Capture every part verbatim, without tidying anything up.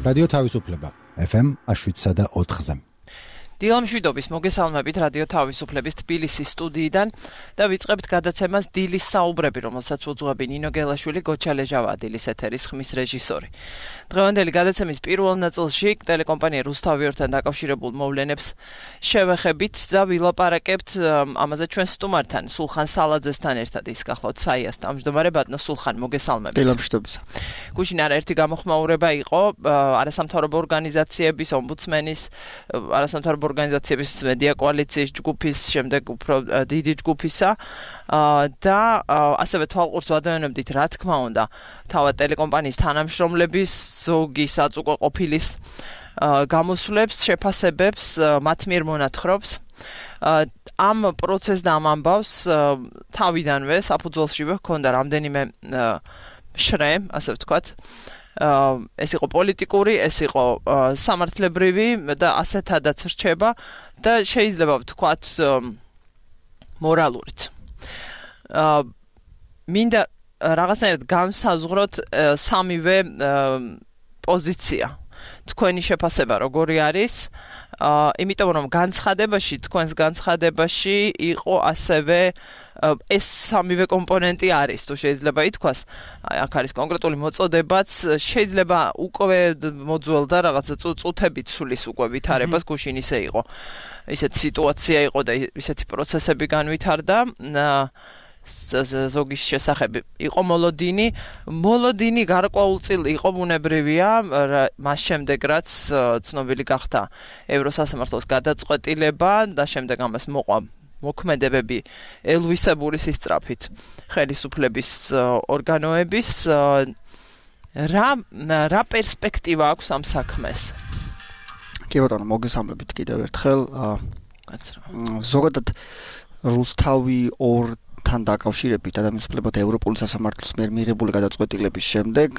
რადიო თავისუფლება ეფ ემ შვიდსა და ოთხზე. დილამ შვიდობის მოგესალმებით რადიო თავისუფლების თბილისის სტუდიიდან და ვიწყებთ გადაცემას დილის საუბრები, რომელსაც უძღვები ნინო გელაშვილი, გოჩა ლეჟავადილის ეთერის ხმის რეჟისორი. დღევანდელი გადაცემის პირველ ნაწილში ტელეკომპანია რუსთავიორთან დაკავშირებულ მოვლენებს შევეხებით და ვილაპარაკებთ ამაზე ჩვენ სტუმართან, სულხან სალაძესთან ერთად. ის გახლავთ საიას თავმჯდომარე ბატონო სულხან, მოგესალმებით. დილამ შვიდობისა. გუშინ არაერთი გამოხმაურება იყო არასამთავრობო ორგანიზაციების, ომბუდსმენის, არასამთავრობო ორგანიზაციების მედია კოალიციის ჯგუფის, შემდეგ უფრო დიდი ჯგუფისა და ასევე თვალყურს ვადევნებდით, რა თქმა უნდა, თავად ტელეკომპანიის თანამშრომლების ზოგი საწუყო ყოფილის გამოსვლებს, შეფასებებს, მათ მიერ მონათხრობს. ამ პროცესს და ამ ამბავს თავიდანვე საფუძველშივე ჰქონდა რამდენიმე შრე, ასე ვთქვათ. ეს იყო პოლიტიკური, ეს იყო სამართლებრივი და ასეთადაც რჩება და შეიძლება ვთქვათ მორალურით. მინდა რაღაცნაირად განსაზღვროთ სამივე პოზიცია. თქვენი შეფასება როგორი არის? იმიტომ რომ განცხადებაში, თქვენს განცხადებაში იყო ასევე ეს სამივე კომპონენტი არის, თუ შეიძლება ითქვას, აქ არის კონკრეტული მოწოდებაც, შეიძლება უკვე მოძველდა რაღაცა წუთებით სulis უკვე ვითარებას, გუშინ ისე იყო. ისეთი სიტუაცია იყო და ისეთი პროცესები განვითარდა. ზოგის შესახებ იყო მოლოდინი, მოლოდინი გარკვეულწილ იყო ბუნებრივია, მას შემდეგ რაც ცნობილი გახდა ევროსასამართლოს გადაწყვეტილება და შემდეგ ამას მოყვა მოქმედებები ელვისებური სისწრაფით ხელისუფლების ორგანოების. რა რა პერსპექტივა აქვს ამ საქმეს? კი ბატონო, მოგესალმებით კიდევ ერთხელ. ზოგადად რუსთავი ორ თან დაკავშირებით ადამიანსუფლებათა ევროპული სასამართლოს მიერ მიღებული გადაწყვეტილების შემდეგ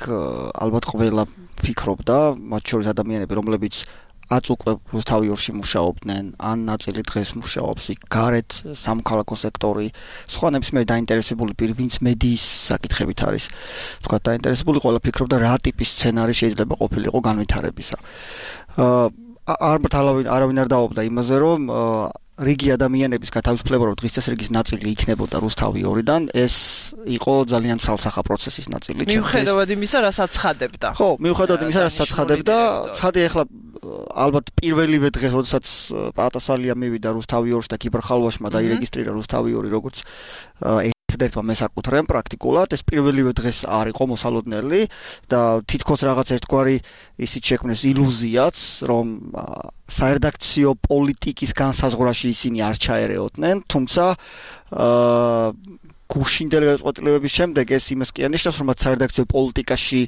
ალბათ ყველა ფიქრობდა, მათ შორის ადამიანები, რომლებიც აც უკვე რუსთავი ორში მუშაობდნენ, ან ნაწილი დღეს მუშაობს იქ, გარეთ სამოქალაქო სექტორი, სხვა ნებისმიერი დაინტერესებული პირი, ვინც მედიის საკითხებით არის, თქვა დაინტერესებული, ყველა ფიქრობდა რა ტიპის სცენარი შეიძლება ყოფილიყო განვითარებისა. ალბათ არავინ არ დაობდა იმაზე, რომ რიგი ადამიანების გათავისუფლება, რომ დღის წესრიგის ნაწილი იქნებოდა რუსთავი ორიდან, ეს იყო ძალიან ცალსახა პროცესის ნაწილი. მიუხედავად იმისა, რასაც ცხადებდა. ხო, მიუხედავად იმისა, რასაც ცხადებდა, ცხადე ახლა ალბათ პირველივე დღეს, როდესაც პატასალია მივიდა რუსთავი ორში და კიბერხალვაშმა დაირეგისტრირა რუსთავი ორი, როგორც ერთადერთმა მესაკუთრემ პრაქტიკულად, ეს პირველივე დღეს არ იყო მოსალოდნელი და თითქოს რაღაც ერთგვარი ისიც შექმნეს ილუზიაც, რომ საერედაქციო პოლიტიკის განსაზღვრაში ისინი არ ჩაერეოდნენ, თუმცა გუშინდელი გადაწყვეტილებების შემდეგ ეს იმას კი არნიშნავს, რომ საერედაქციო პოლიტიკაში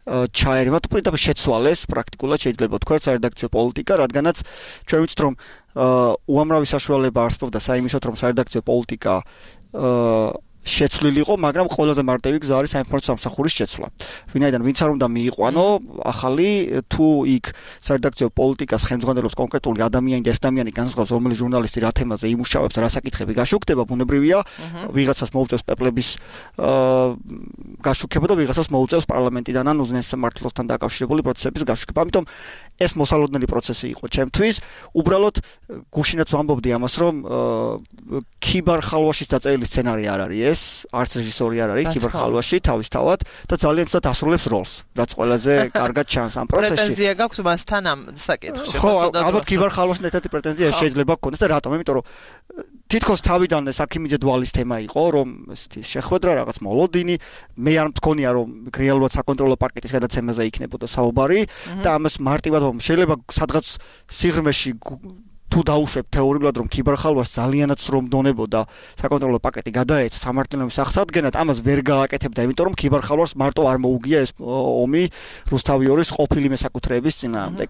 ჩაერევა, პრინციპში შეცვალეს პრაქტიკულად შეიძლება ვთქვათ საერედაქციო პოლიტიკა, რადგანაც ჩვენ ვიცით, რომ უამრავი საშუალება არსებობდა საიმისოდ, რომ საერედაქციო პოლიტიკა შეცვლილიყო, მაგრამ ყველაზე მარტივი გზა არის საინფორმაციო სამსახურის შეცვლა. ვინაიდან ვინც არ უნდა მიიყვანო ახალი თუ იქ საერედაქციო პოლიტიკას ხელმძღვანელობს კონკრეტული ადამიანი და ეს ადამიანი განსხვავებს რომელი ჟურნალისტი რა თემაზე იმუშავებს, რა საკითხები გაშუქდება, ბუნებრივია, ვიღაცას მოუწევს პეპლების გაშუქება და ვიღაცას მოუწევს პარლამენტიდან ან უზენაეს სამართლოსთან დაკავშირებული პროცესების გაშუქება. ამიტომ ეს მოსალოდნელი პროცესი იყო ჩემთვის. უბრალოდ გუშინაც ვამბობდი ამას, რომ კიბერხალვაშის დაწერილი სცენარი არ არის ეს, არც რეჟისორი არ არის კიბერხალვაში თავისთავად და ძალიან ცუდად ასრულებს როლს, რაც ყველაზე კარგად ჩანს ამ პროცესში. პრეტენზია გაქვს მასთან ამ საკითხში. ხო, ალბათ კიბერხალვაშთან ერთად პრეტენზია შეიძლება გქონდეს და რატომ? იმიტომ რომ თითქოს თავიდანვე საქიმიძე დვალის თემა იყო, რომ ესეთი შეხვედრა, რაღაც მოლოდინი, მე არ მგონია, რომ რეალურად საკონტროლო პაკეტის გადაცემაზე იქნებოდა საუბარი და ამას მარტივად შეიძლება სადღაც სიღრმეში თუ დაუშვებ თეორიულად, რომ კიბერხალვას ძალიანაც რომ დონებოდა საკონტროლო პაკეტი გადაეცა სამართლიანობის აღსადგენად, ამას ვერ გააკეთებდა, იმიტომ რომ კიბერხალვას მარტო არ მოუგია ეს ომი რუსთავი ორის ყოფილი მესაკუთრეების წინააღმდეგ.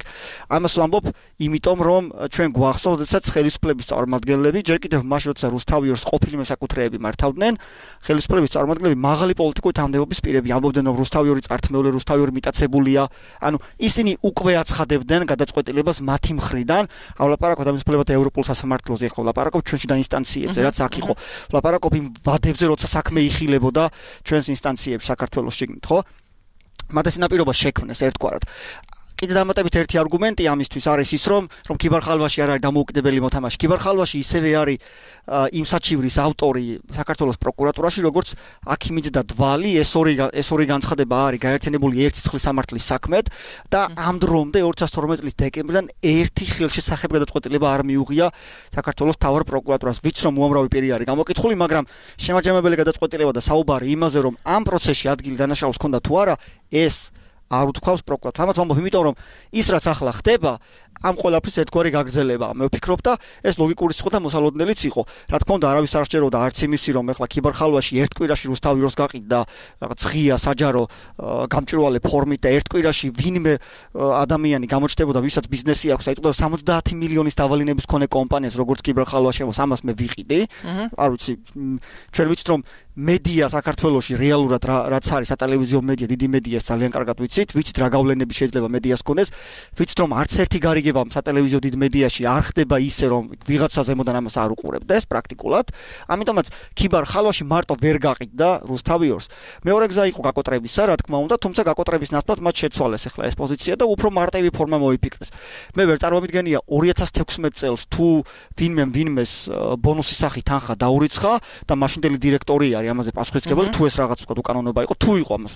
ამას ვამბობ, იმიტომ რომ ჩვენ გვახსოვს, როდესაც ხელისუფლების წარმომადგენლები ჯერ კიდევ მაშინ, როცა რუსთავი ორის ყოფილი მესაკუთრეები მართავდნენ, ხელისუფლების წარმომადგენლები მაღალი პოლიტიკური თანამდებობის პირები ამბობდნენ, რომ რუსთავი ორი წართმეული, რუსთავი ორი მიტაცებულია. ანუ ისინი უკვე აცხადებდნენ გადაწყვეტილებას მათი მხრიდან, ავლაპარაკოთ ადამიანსუფლებათა ევროპულ სასამართლოზე, ხო, ვლაპარაკობ ჩვენში და ინსტანციებზე, რაც აქ იყო. ვლაპარაკობ იმ ვადებზე, როცა საქმე იხილებოდა ჩვენს ინსტანციებში საქართველოს შიგნით, ხო? მათ ეს ნაპირობა შექმნეს ერთგვარად. კიდე დამატებით ერთი არგუმენტი ამისთვის არის ის, რომ რომ ქიბარხალვაში არ არის დამოუკიდებელი მოთამაშე. ქიბარხალვაში ისევე არის იმ საჩივრის ავტორი საქართველოს პროკურატურაში, როგორც აქიმიძე და დვალი, ეს ორი ეს ორი განცხადება არის გაერთიანებული ერთ სიცხლის სამართლის საქმედ და ამ დრომდე ორი ათას თორმეტი წლის დეკემბრიდან ერთი ხელშესახებ გადაწყვეტილება არ მიუღია საქართველოს მთავარ პროკურატურას, ვიც რომ უამრავი პირი არის გამოკითხული, მაგრამ შემაჯამებელი გადაწყვეტილება და საუბარი იმაზე, რომ ამ პროცესში ადგილი დანაშაულს ჰქონდა თუ არა, ეს არ უთქვავს პროკურატურა. ამათ ვამბობ, იმიტომ რომ ის რაც ახლა ხდება, ამ ყველაფრის ერთგვარი გაგრძელება. მე ვფიქრობ და ეს ლოგიკურიც იყო და მოსალოდნელიც იყო. რა თქმა უნდა, არავის არ სჯეროდა არც იმისი, რომ ეხლა ქიბარხალვაში ერთ კვირაში რუსთავიორს გაყიდდა რაღაც ღია საჯარო გამჭვირვალე ფორმით და ერთ კვირაში ვინმე ადამიანი გამოჩნდებოდა, ვისაც ბიზნესი აქვს, აი თუნდაც სამოცდაათი მილიონის დავალინების მქონე კომპანიას, როგორც ქიბარხალვაში, ამას მე ვიყიდი. არ ვიცი, ჩვენ ვიცით რომ მედია საქართველოში რეალურად რაც არის სატელევიზიო მედია, დიდი მედია ძალიან კარგად ვიცით, ვიცით რა გავლენები შეიძლება მედიას ქონდეს, ვიცით რომ არც ერთი გარიგება სატელევიზიო დიდ მედიაში არ ხდება ისე რომ ვიღაცა ზემოდან ამას არ უყურებდა, ეს პრაქტიკულად. ამიტომაც ქიბარხალვაში მარტო ვერ გაყიდდა რუსთავიორს. მეორე გზა იყო გაკოტრებისა, რა თქმა უნდა, თუმცა გაკოტრების ნაცვლად მათ შეცვალეს ახლა ეს პოზიცია და უფრო მარტივი ფორმა მოიფიქრეს. მე ვერ წარმოვიდგენია ორი ათას თექვსმეტ წელს თუ ვინმე ვინმეს ბონუსის სახით თანხა დაურიცხა და მაშინდელი დირექტორი არის ამაზე პასუხისმგებელი, თუ ეს რაღაც ვთქვათ უკანონობა იყო, თუ იყო ამას.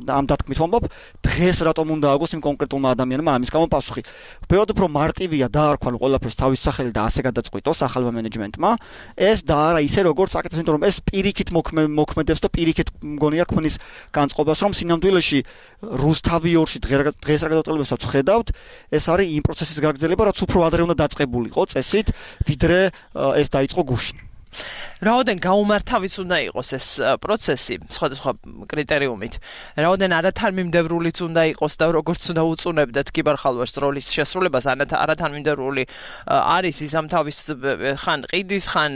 ამ დათქმით ვამბობ, დღეს რატომ უნდა აგოს იმ კონკრეტულმა ადამიანმა ამის გამო პასუხი. ბევრად უფრო მარტივია დაარქვა ყველაფერს თავის სახელი და ასე გადაწყვიტოს ახალმა მენეჯმენტმა. ეს და არა ისე როგორც აკეთებს, იმიტომ რომ ეს პირიქით მოქმედებს და პირიქით მგონია ქმნის განწყობას, რომ სინამდვილეში რუსთავიორში დღეს რა გადაწყვეტილებასაც ხედავთ, ეს არის იმ პროცესის გაგრძელება, რაც უფრო ადრე უნდა დაწყებულიყო წესით, ვიდრე ეს დაიწყო გუშინ. რაოდენ გაუმართავიც უნდა იყოს ეს პროცესი სხვადასხვა კრიტერიუმით. რაოდენ არათანმიმდევრულიც უნდა იყოს და როგორც უნდა უწუნებდეთ ქიბარხალვაშს როლის შესრულებას, არათანმიმდევრული არის ის ამ თავის ხან ყიდის, ხან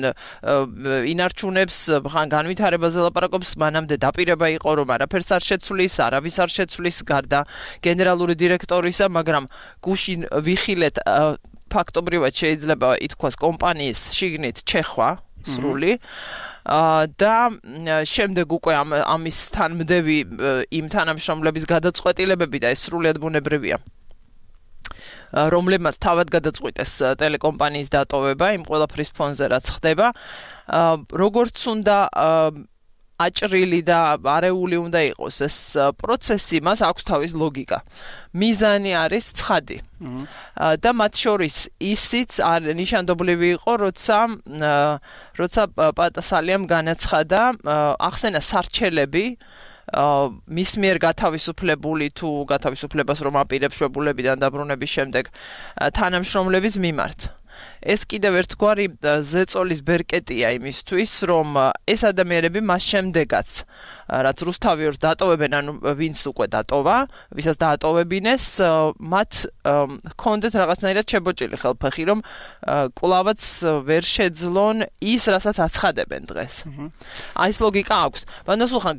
ინარჩუნებს, ხან განვითარებაზე ლაპარაკობს, მანამდე დაპირება იყო რომ არაფერს არ შეცვლის, არავის არ შეცვლის გარდა გენერალური დირექტორისა, მაგრამ გუშინ ვიხილეთ ფაქტობრივად შეიძლება ითქვას კომპანიის შიგნით ჩეხვა სრული და შემდეგ უკვე ამის თანმდევი იმ თანამშრომლების გადაწყვეტილებები და ეს სრულიად ბუნებრივია. რომლებმაც თავად გადაწყვიტეს ტელეკომპანიის დატოვება იმ ყველაფრის ფონზე რაც ხდება, როგორც უნდა აჭრილი და არეული უნდა იყოს ეს პროცესი, მას აქვს თავის ლოგიკა. მიზანი არის ცხადი. და მათ შორის ისიც არ ნიშანდობლივი იყო, როცა როცა პატასალიამ განაცხადა, ახსენა სარჩელები მის მიერ გათავისუფლებული თუ გათავისუფლებას რომ აპირებს შვებულებიდან დაბრუნების შემდეგ თანამშრომლების მიმართ. ეს კიდევ ერთგვარი ზეწოლის ბერკეტია იმისთვის, რომ ეს ადამიანები მას შემდეგაც, რაც რუსთავიორს დატოვებენ, ანუ ვინც უკვე დატოვა, ვისაც დაატოვებინეს, მათ ჰქონდეთ რაღაცნაირად შებოჭილი ხელფეხი, რომ კვლავაც ვერ შეძლონ ის, რასაც აცხადებენ დღეს. აი ეს ლოგიკა აქვს. ვანდასულხან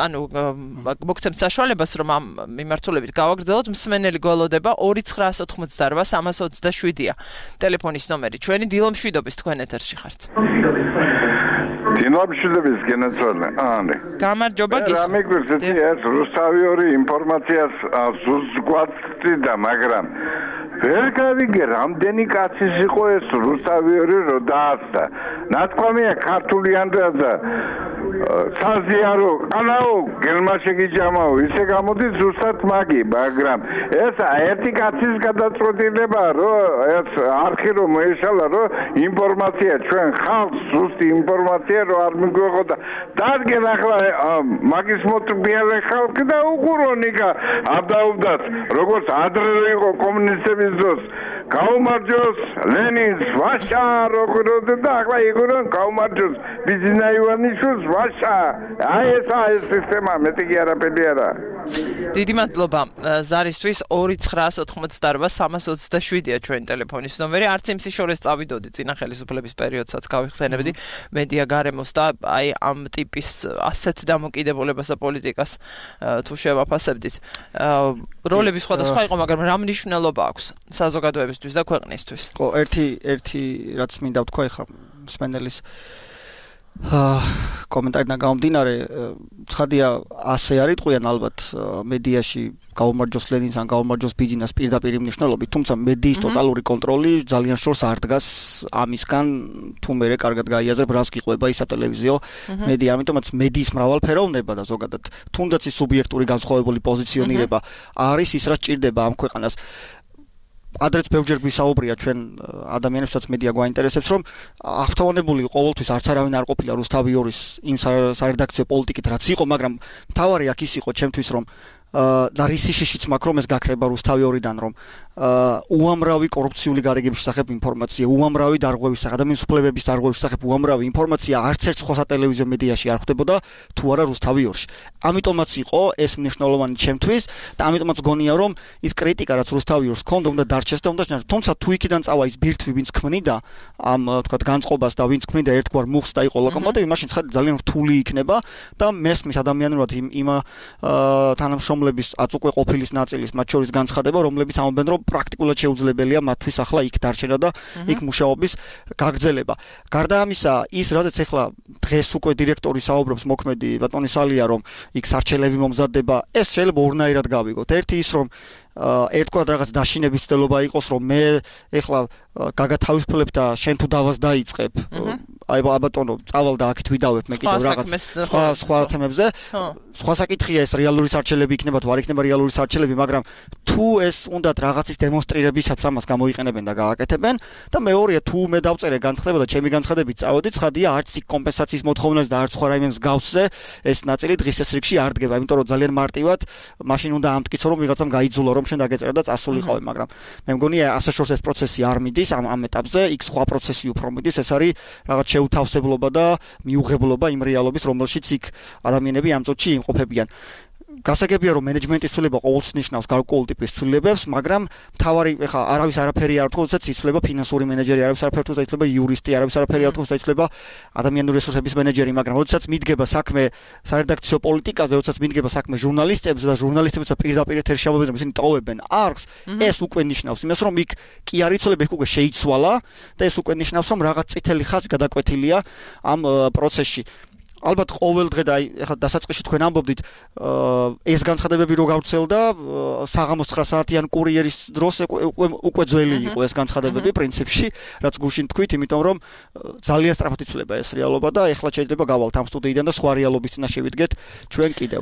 ანუ მოგცემთ საშუალებას, რომ ამ მიმართულებით გავაგრძელოთ, მსმენელი გველოდება ორი ცხრაას ოცდაოთხმოცდაორვა სამას ოცდაშვიდია. ტელეფონის ნომერი. ჩვენი დილომშვიდობის თქვენ ეთერში ხართ. დილომშვიდობის გენაცვალე. ანი. გამარჯობა გისმენთ. რა მეგრეცი ეს რუსთავიორი ინფორმაციას ზუსტგვაცდი და მაგრამ ვერ გავიგე რამდენი კაცის იყო ეს რუსთავიორი რო დაასწა. ნათქვამია ქართული ანდრაზა საზიარო ყანაო გელმაშეგიჯამაო ისე გამოდის ზუსტად მაგი, მაგრამ ეს ერთი კაცის გადაწყვეტილება რომ ეს არქი რომ მოეშალა რომ ინფორმაცია ჩვენ ხალხს ზუსტი ინფორმაცია რომ არ მიგვეღოდა დადგენ ახლა მაგის მოწმიალე ხალხი და უყურონიკა არ დაუდათ როგორც ადრე იყო კომუნისტების დროს გაუმარჯოს ლენინს ვაშა როგორ და ახლა იგორონ გაუმარჯოს ბიზნა ივანიშვილს ვაშა აი ეს ეს სისტემა მეტი კი არაფერი არა. დიდი მადლობა ზარისთვის. ორი ცხრაას ოცდაოთხმოცდაორვა სამას ოცდაშვიდია ჩვენი ტელეფონის ნომერი. არც იმ სიშორეს წავიდოდი წინა ხელისუფლების პერიოდსაც გავიხსენებდი მედია გარემოს და აი ამ ტიპის ასეთ დამოკიდებულებას და პოლიტიკას თუ შევაფასებდით. როლები სხვადასხვა იყო, მაგრამ რა მნიშვნელობა აქვს საზოგადოებისთვის და ქვეყნისთვის? ხო, ერთი ერთი რაც მინდა ვთქვა ეხლა მსმენელის აა კომენტარიდან გამომდინარე, ცხადია ასე არ იტყვიან ალბათ მედიაში გაუმარჯოს ლენინს ან გაუმარჯოს ბიძინას პირდაპირ მნიშვნელობით, თუმცა მედიის ტოტალური კონტროლი ძალიან შორს არ დგას ამისგან, თუ მერე კარგად გაიაზრებ, რას გიყვება ის სატელევიზიო მედია, ამიტომაც მედიის მრავალფეროვნება და ზოგადად თუნდაც ის სუბიექტური განსხვავებული პოზიციონირება არის ის, რაც ჭირდება ამ ქვეყანას. ადრეც ბევრჯერ გვისაუბრია ჩვენ ადამიანებსაც მედია გვაინტერესებს, რომ აღფრთოვანებული ყოველთვის არც არავინ არ ყოფილა რუსთავი ორის იმ სარედაქციო პოლიტიკით, რაც იყო, მაგრამ მთავარი აქ ის იყო ჩემთვის, რომ და რისი შიშიც მაქვს, რომ ეს გაქრება რუსთავი ორიდან, რომ უამრავი კორუფციული გარიგების შესახებ ინფორმაცია, უამრავი დარღვევის შესახებ, ადამიანის უფლებების დარღვევის შესახებ უამრავი ინფორმაცია არც ერთ სხვა სატელევიზიო მედიაში არ ხვდებოდა, თუ არა რუსთავი ორში. ამიტომაც იყო ეს მნიშვნელოვანი ჩემთვის და ამიტომაც გონია, რომ ის კრიტიკა, რაც რუსთავი ორს ჰქონდა, უნდა დარჩეს და უნდა შენარჩუნდეს. თუმცა თუ იქიდან წავა ის ბირთვი, ვინც ქმნიდა ამ თქვა განწყობას და ვინც ქმნიდა ერთგვარ მუხს და იყო ლოკომოტივი, მაშინ ცხადია ძალიან რთული იქნება და მესმის ადამიანურად იმ იმ თანამშრომლების აწუყვე ყოფილის ნაწილის მათ შორის განცხადება, რომლებიც ამბობენ, რომ პრაქტიკულად შეუძლებელია მათთვის ახლა იქ დარჩენა და იქ მუშაობის გაგრძელება. გარდა ამისა, ის რადგან ახლა დღეს უკვე დირექტორი საუბრობს მოქმედი ბატონი სალია, რომ იქ სარჩელები მომზადდება, ეს შეიძლება ორნაირად გავიგოთ. ერთი ის, რომ ერთგვარ რაღაც დაშინების ცდელობა იყოს, რომ მე ეხლა გაგათავისუფლებ და შენ თუ დავას დაიწყებ. აი ბატონო, წავალ და აქეთ ვიდავებ მე კიდევ რაღაც სხვა სხვა თემებზე. სხვა საკითხია ეს რეალური სარჩელები იქნება თუ არ იქნება რეალური სარჩელები, მაგრამ თუ ეს უნდათ რაღაცის დემონსტრირებისას ამას გამოიყენებენ და გააკეთებენ და მეორეა თუ მე დავწერე განცხადება და ჩემი განცხადებით წავედი, ცხადია არც იქ კომპენსაციის მოთხოვნას და არც სხვა რაიმე მსგავსზე ეს ნაწილი დღის ეს რიგში არ დგება, იმიტომ რომ ძალიან მარტივად მაშინ უნდა ამტკიცო რომ ვიღაცამ გაიძულა რომ შენ დაგეწერა და წასულიყავი, მაგრამ მე მგონია ასე შორს ეს პროცესი არ მიდის ამ ამ ეტაპზე, იქ სხვა პროცესი უფრო მიდის, ეს არის რაღაც შეუთავსებლობა და მიუღებლობა იმ რეალობის, რომელშიც იქ ადამიანები ამ წუთში იმყოფებიან. გასაგებია რომ მენეჯმენტის ცვლილება ყოველთვის ნიშნავს გარკვეულ ტიპის ცვლილებებს, მაგრამ მთავარი ეხა არავის არაფერი არ თქოს, იცვლება ფინანსური მენეჯერი, არავის არაფერი თქოს, იცვლება იურისტი, არავის არაფერი არ თქოს, იცვლება ადამიანური რესურსების მენეჯერი, მაგრამ როდესაც მიდგება საქმე სარედაქციო პოლიტიკაზე, როდესაც მიდგება საქმე ჟურნალისტებზე და ჟურნალისტებიცა პირდაპირ ეთერში ამბობენ, რომ ისინი ტოვებენ არხს, ეს უკვე ნიშნავს იმას, რომ იქ კი არ იცვლება, იქ უკვე შეიცვალა და ეს უკვე ნიშნავს, რომ რაღაც წითელი ხაზი გადაკვეთილია ამ პროცესში. ალბათ ყოველ დღე და აი ახლა დასაწყისში თქვენ ამბობდით ეს განცხადებები რო გავრცელდა საღამოს ცხრა საათიან კურიერის დროს უკვე ძველი იყო ეს განცხადებები პრინციპში, რაც გუშინ თქვით, იმიტომ რომ ძალიან სწრაფად იცვლება ეს რეალობა და ეხლა შეიძლება გავალთ ამ სტუდიიდან და სხვა რეალობის წინა შევიდგეთ ჩვენ კიდევ.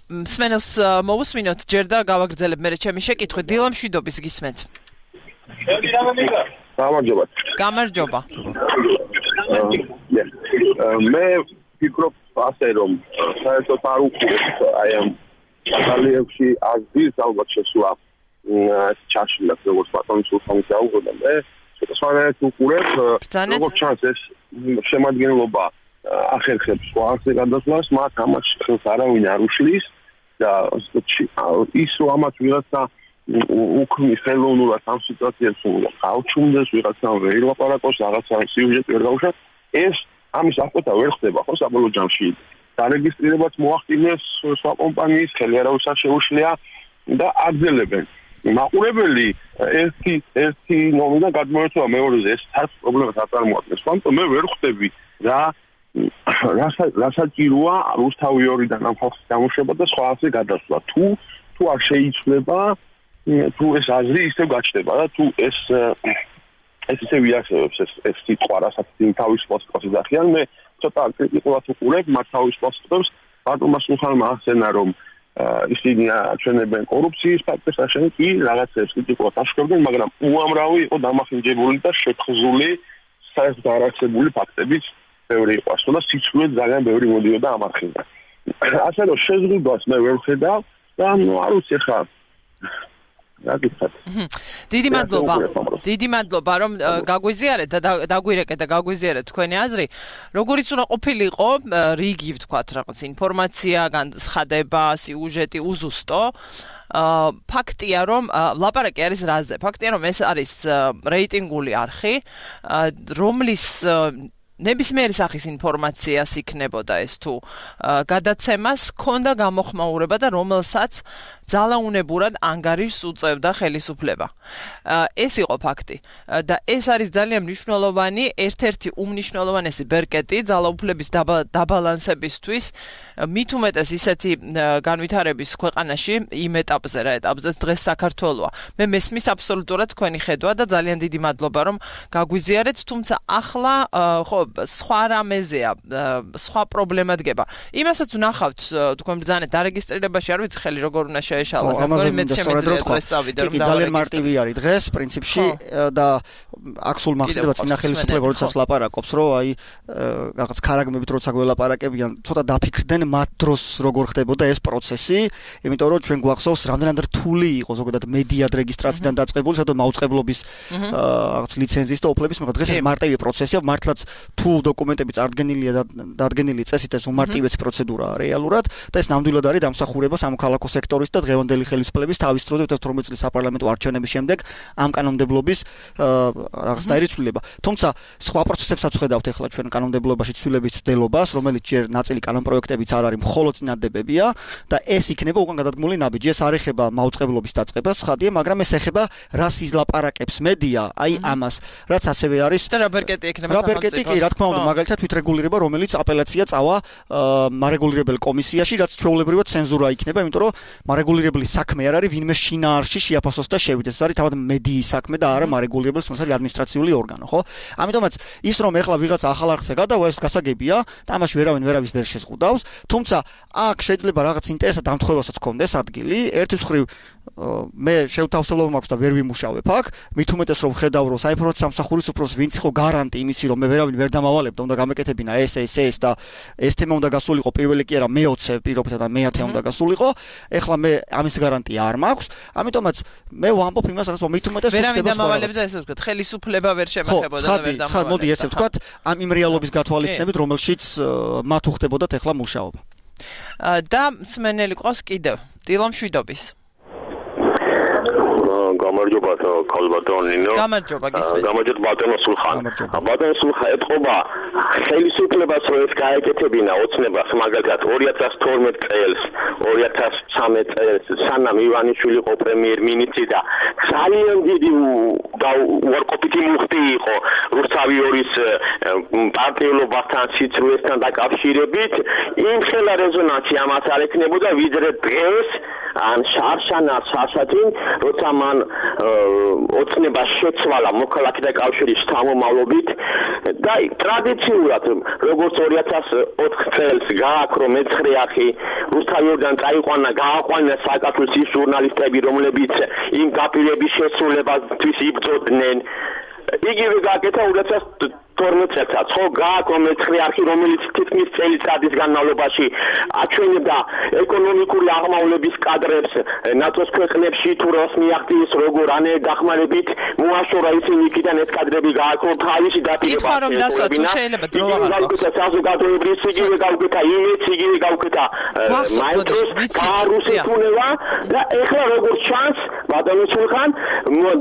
მსმენელს მოვუსმინოთ ჯერ და გავაგრძელებ მე ჩემი შეკითხვით. დილა მშვიდობის გისმენთ. გამარჯობა. გამარჯობა. მე ვფიქრობ ასე რომ საერთოდ არ უყურებთ აი ამ ბატალიონში აზრის ალბათ შესვლა ჩაშლა როგორც ბატონი სულთანი დაუგოდა მე შესაძლოა უყურებ როგორც ჩანს ეს შემადგენლობა ახერხებს სხვა არხზე გადასვლას მათ ამას ხელს არავინ არ უშლის და ის რომ ამათ ვიღაცა უქმნის ხელოვნურად ამ სიტუაციას გავჩუმდეს ვიღაცა ვერ ლაპარაკობს რაღაცა სიუჟეტი ვერ გავუშვათ ეს ამის აღკვეთა ვერ ხდება ხო საბოლოო ჯამში დარეგისტრირებაც მოახდინეს სხვა კომპანიის ხელი არავის არ შეუშლია და აგზელებენ მაყურებელი ერთი ერთი ნომიდან გადმოერთვა მეორეზე ეს თავს პრობლემას არ წარმოადგენს თუმცა მე ვერ ხვდები რა რასაჭიროა რუსთავი ორიდან ამ ხალხის გამოშვება და სხვა ასე გადასვლა თუ თუ არ შეიცვლება თუ ეს აზრი ისევ გაჩნდება და თუ ეს ეს ისე ვიარსებებს ეს ეს სიტყვა რასაც თავის პოსტს ახიან მე ცოტა კრიტიკულად ვუყურებ მათ თავის პოსტებს ბატონმა სულხანმა ახსენა რომ ისინი აჩვენებენ კორუფციის ფაქტებს აშენ კი რაღაცებს კრიტიკულად აშკარებენ მაგრამ უამრავი იყო დამახინჯებული და შეთხზული საერთოდ არარსებული ფაქტებიც ბევრი იყო ასე და სიცრუე ძალიან ბევრი მოდიოდა ამ არხიდან ასე რომ შეზღუდვას მე ვერ ვხედავ და ნუ არ ვიცი ხა დიდი მადლობა დიდი მადლობა რომ გაგვიზიარეთ და დაგვირეკეთ და გაგვიზიარეთ თქვენი აზრი როგორიც უნდა ყოფილიყო რიგი ვთქვათ რაღაც ინფორმაცია განცხადება სიუჟეტი უზუსტო ფაქტია რომ ლაპარაკი არის რაზე ფაქტია რომ ეს არის რეიტინგული არხი რომლის ნებისმიერი სახის ინფორმაციას იქნებოდა ეს თუ გადაცემას ქონდა გამოხმაურება და რომელსაც ძალაუნებურად ანგარიშს უწევდა ხელისუფლება. ეს იყო ფაქტი და ეს არის ძალიან მნიშვნელოვანი, ერთ-ერთი უმნიშვნელოვანესი ბერკეტი ძალაუფლების დაბალანსებისთვის, მით უმეტეს ისეთი განვითარების ქვეყანაში იმ ეტაპზე, რა ეტაპზეც დღეს საქართველოა. მე მესმის აბსოლუტურად თქვენი ხედვა და ძალიან დიდი მადლობა რომ გაგვიზიარეთ, თუმცა ახლა ხო სხვა რამეზეა, სხვა პრობლემა დგება. იმასაც ვნახავთ თქვენ ბრძანეთ დარეგისტრირებაში, არ ვიცი ხელი როგორ უნდა შეეშალოს, როგორი მეც შემიძლია დღეს წავიდე რომ ძალიან მარტივი არის დღეს პრინციპში და აქ სულ მახსოვდება წინა ხელისუფლება როდესაც ლაპარაკობს, რომ აი რაღაც ქარაგმებით როცა გველაპარაკებიან, ცოტა დაფიქრდნენ მათ დროს როგორ ხდებოდა ეს პროცესი, იმიტომ რომ ჩვენ გვახსოვს რამდენად რთული იყო ზოგადად მედია რეგისტრაციიდან დაწყებული, სადაც მაუწყებლობის რაღაც ლიცენზიის და ოფლების მიღება. დღეს ეს მარტივი პროცესია, მართლაც თუ დოკუმენტები წარდგენილია და დადგენილი წესით ეს უმარტივესი პროცედურაა რეალურად და ეს ნამდვილად არის დამსახურება სამოქალაქო სექტორის და დღევანდელი ხელისუფლების თავის დროზე ოცდაათი წლის საპარლამენტო არჩევნების შემდეგ ამ კანონმდებლობის რაღაცნაირი ცვლილება. თუმცა სხვა პროცესებსაც ვხედავთ ახლა ჩვენ კანონმდებლობაში ცვლილების ცვლილებას, რომელიც ჯერ ნაწილი კანონპროექტებიც არ არის, მხოლოდ წინადებებია და ეს იქნება უკან გადადგმული ნაბიჯი. ეს არ ეხება მაუწყებლობის დაწყებას, ხადია, მაგრამ ეს ეხება რას იზლაპარაკებს მედია, აი ამას, რაც ასევე არის და რა ბერკეტი ექნება რა ბერკეტი კი, რა თქმა უნდა, მაგალითად თვითრეგულირება, რომელიც აპელაცია წავა მარეგულირებელ კომისიაში, რაც ჩვეულებრივად ცენზურა იქნება, იმიტომ რომ მარეგულირებელი საქმე არ არის ვინმე შინაარსში შეაფასოს და შევიდეს. ეს არის თავად მედიის საქმე და არა მარეგულირებლის თუნდაც ადმინისტრაციული ორგანო, ხო? ამიტომაც ის რომ ეხლა ვიღაცა ახალ არხზე გადავა, ეს გასაგებია და ამაში ვერავინ ვერავის ვერ შეზღუდავს, თუმცა აქ შეიძლება რაღაც ინტერესად დამთხევასაც გქონდეს ადგილი. ერთის მხრივ მე შევთავსებლობა მაქვს და ვერ ვიმუშავებ აქ, მით უმეტეს რომ ხედავ რომ საინფორმაციო სამსახურის უფროსს ვინც იყო გარანტი იმისი რომ მე ვერავინ ვერ დამავალებ და უნდა გამეკეთებინა ეს ეს ეს და ეს თემა უნდა გასულიყო პირველი კი არა მეოცე პირობითად და მეათე უნდა გასულიყო. ეხლა მე ამის გარანტია არ მაქვს, ამიტომაც მე ვამბობ იმას რაც მით უმეტეს ვერავინ დამავალებს და ესე ვთქვათ, ხელისუფლება ვერ შემეხებოდა და ვერ დამავალებს. ხა, მოდი ესე ვთქვათ, ამ იმ რეალობის გათვალისწინებით, რომელშიც მათ უხდებოდათ ეხლა მუშაობა. და მსმენელი ყავს კიდევ დილა მშვიდობის. გამარჯობა ქალბატონინო. გამარჯობა გისმენთ. გამარჯობა ბატონო სულხან. ბატონო სულხან, ეთყობა ხელისუფლებას რომ ეს გაეკეთებინა ოცნებას მაგალითად ორი ათას თორმეტ წელს, ორი ათას ცხრამეტ წელს, სანამ ივანიშვილი იყო პრემიერ-მინისტრი და ძალიან დიდი და უარყოფითი მუხტი იყო რუსთავიორის პარტიულობასთან, სიცრუესთან დაკავშირებით, იმ ხელა რეზონანსი ამას არ ექნებოდა, ვიდრე დღეს ან შარშანას სასათინ როცა მან ოცნება შეცვალა მოქალაქეთა კავშირის შთამომავლობით და ტრადიციულად როგორც ორი ათას ოთხ წელს გააქრო მეცხრე არხი რუსთავიორიდან წაიყვანა გააყვანა საქართველოს ის ჟურნალისტები რომლებიც იმ დაპირების შესრულებისთვის იბრძოდნენ იგივე გააკეთა ორი ათას თორმეტ წელსაც ხო გააქრო მეცხრე არხი რომელიც თითქმის წელიწადის განმავლობაში აჩვენებდა ეკონომიკური აღმავლობის კადრებს ნატოს ქვეყნებში თუ რას მიაღწიეს როგორ ანე დახმარებით მოაშორა ისინი იქიდან ეს კადრები გააქრო თავისი დაპირება კითხვა რომ დასვა თუ შეიძლება დრო გავაკეთა საზოგადოებრივ იგივე გავაკეთა იმეც იგივე გავაკეთა მაინტროს კარუსი თუნება და ეხლა როგორ ჩანს ბატონო სულხან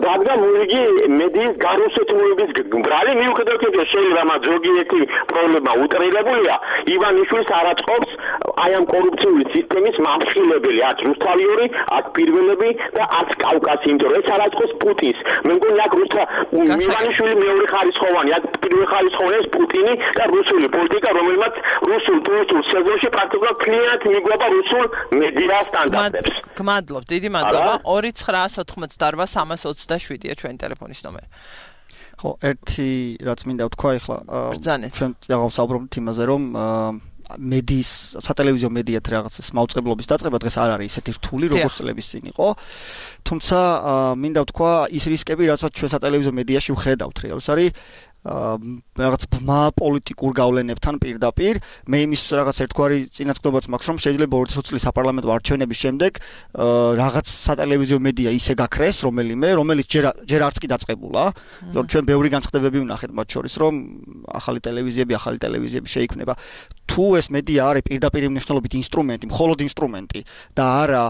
დადგა მოიგი მედიის გარუსეთმოების ბრალი მიუხედავად შეიძლება მათ ზოგიერთი პრობლემა უტრირებულია ივანიშვილს არ აწყობს აი ამ კორუფციული სისტემის მამხილებელი არც რუსთავიორი არც პირველები და არც კავკასი იმიტომ რომ ეს არ აწყობს პუტინს მე მგონი აქ რუსთა ივანიშვილი მეორე ხარისხოვანი აქ პირველი ხარისხოვანი ეს პუტინი და რუსული პოლიტიკა რომელმაც რუსულ ტურისტულ სეზონში პრაქტიკულად ქლიანად მიგვება რუსულ მედია სტანდარტებს გმადლობ დიდი მადლობა ორი ცხრაას ოთხმოცდაორვა სამას ოცდაშვიდია ჩვენი ტელეფონის ნომერი ხო, ერთი რაც მინდა ვთქვა ახლა ჩვენ დავსაუბრობთ იმაზე, რომ მედიის, სატელევიზიო მედიათ რაღაცის მაუწყებლობის დაწყება დღეს არ არის ისეთი რთული, როგორც წლების წინ იყო. თუმცა მინდა ვთქვა ის რისკები, რასაც ჩვენ სატელევიზიო მედიაში ვხედავთ, რეალს არის რაღაც ბმა პოლიტიკურ გავლენებთან პირდაპირ მე იმის რაღაც ერთგვარი წინასწრებაც მაქვს რომ შეიძლება ორი ათი წლის საპარლამენტო არჩევნების შემდეგ რაღაც სატელევიზიო მედია ისე გაქრეს რომელიმე რომელიც ჯერ ჯერ არც კი დაწყებულა რომ ჩვენ ბევრი განცხადებები ვნახეთ მათ შორის რომ ახალი ტელევიზიები ახალი ტელევიზიები შეიქმნება თუ ეს მედია არის პირდაპირ მნიშვნელობით ინსტრუმენტი, მხოლოდ ინსტრუმენტი და არა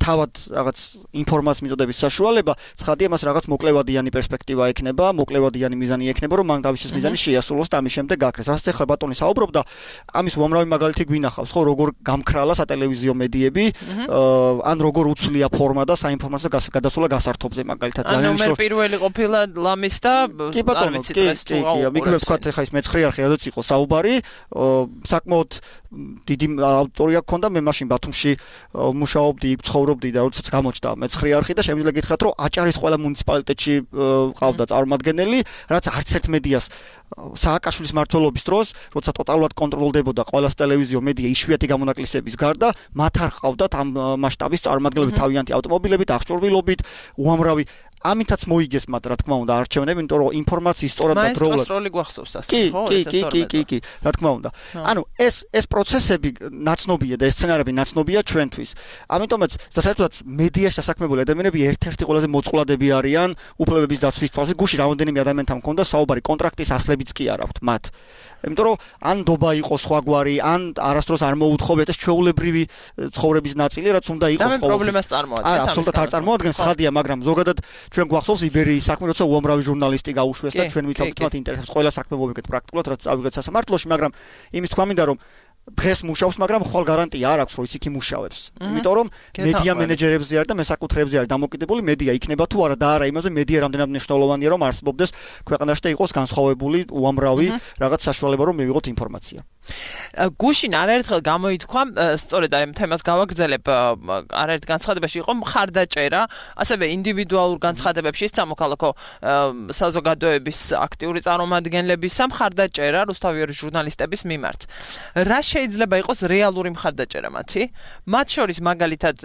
თავად რაღაც ინფორმაციის მიწოდების საშუალება, ცხადია მას რაღაც მოკლევადიანი პერსპექტივა ექნება, მოკლევადიანი მიზანი ექნება, რომ მან თავისი მიზანი შეასრულოს და ამის შემდეგ გაქრეს. რასაც ახლა ბატონი საუბრობდა, ამის უამრავი მაგალითი გვინახავს, ხო, როგორ გამქრალა სატელევიზიო მედიები, ან როგორ უცვლია ფორმა და საინფორმაციო გადასვლა გასართობზე მაგალითად ძალიან მნიშვნელოვანი. ანუ მე პირველი ყოფილა ლამის და კი ბატონო, კი, კი, კი, მიგმებ თქვა ახლა ის მეცხრე არხი რადგან იყო საუბარი, საკმაოდ დიდი ავტორია გქონდა, მე მაშინ ბათუმში მუშაობდი, იქ ცხოვრობდი და როდესაც გამოჩნდა მეცხრე არხი და შემიძლია გითხრათ, რომ აჭარის ყველა მუნიციპალიტეტში ყავდა წარმომადგენელი, რაც არც ერთ მედიას სააკაშვილის მმართველობის დროს, როცა ტოტალურად კონტროლდებოდა ყველა ტელევიზიო მედია იშვიათი გამონაკლისების გარდა, მათ არ ყავდათ ამ მასშტაბის წარმომადგენლები თავიანთი ავტომობილებით, აღჭურვილობით, უამრავი ამითაც მოიგეს მათ რა თქმა უნდა არჩევნები, იმიტომ რომ ინფორმაციის სწორად და დროულად მაინც როლი გვახსოვს ასე, ხო? კი, კი, კი, კი, კი, რა თქმა უნდა. ანუ ეს ეს პროცესები ნაცნობია და ეს სცენარები ნაცნობია ჩვენთვის. ამიტომაც საერთოდაც მედიაში დასაქმებული ადამიანები ერთ-ერთი ყველაზე მოწყვლადები არიან უფლებების დაცვის თვალსაზრისით. გუში რამდენიმე ადამიანთან მქონდა საუბარი, კონტრაქტის ასლებიც კი არ აქვთ მათ. იმიტომ რომ ან დობა იყოს სხვაგვარი, ან არასდროს არ მოუთხოვეთ ეს ჩვეულებრივი ცხოვრების ნაწილი, რაც უნდა იყოს ყოველთვის. და პრობლემას წარმოადგენს. არა, აბსოლუტურად არ წარმოადგენს, ხადია, მაგრამ ზოგადად ჩვენ გვახსოვს იბერიის საქმე, როცა უამრავი ჟურნალისტი გაუშვეს და ჩვენ ვიცავთ მათ ინტერესებს ყველა საქმე მოვიგეთ პრაქტიკულად, რაც წავიღეთ სასამართლოში, მაგრამ იმის თქვა მინდა რომ დღეს მუშაობს, მაგრამ ხვალ გარანტია არ აქვს, რომ ის იქ იმუშავებს. იმიტომ რომ მედია მენეჯერებზე არის და მესაკუთრეებზე არის დამოკიდებული მედია იქნება თუ არა და არა იმაზე მედია რამდენად მნიშვნელოვანია რომ არსებობდეს ქვეყანაში და იყოს განსხვავებული უამრავი რაღაც საშუალება რომ მივიღოთ ინფორმაცია. გუშინ არაერთხელ გამოითქვა, სწორედ აი ამ თემას გავაგრძელებ, არაერთ განცხადებაში იყო მხარდაჭერა, ასევე ინდივიდუალურ განცხადებებში სამოქალაქო საზოგადოების აქტიური წარმომადგენლებისა მხარდაჭერა რუსთავიორის ჟურნალისტების მიმართ. რა შეიძლება იყოს რეალური მხარდაჭერა მათი? მათ შორის მაგალითად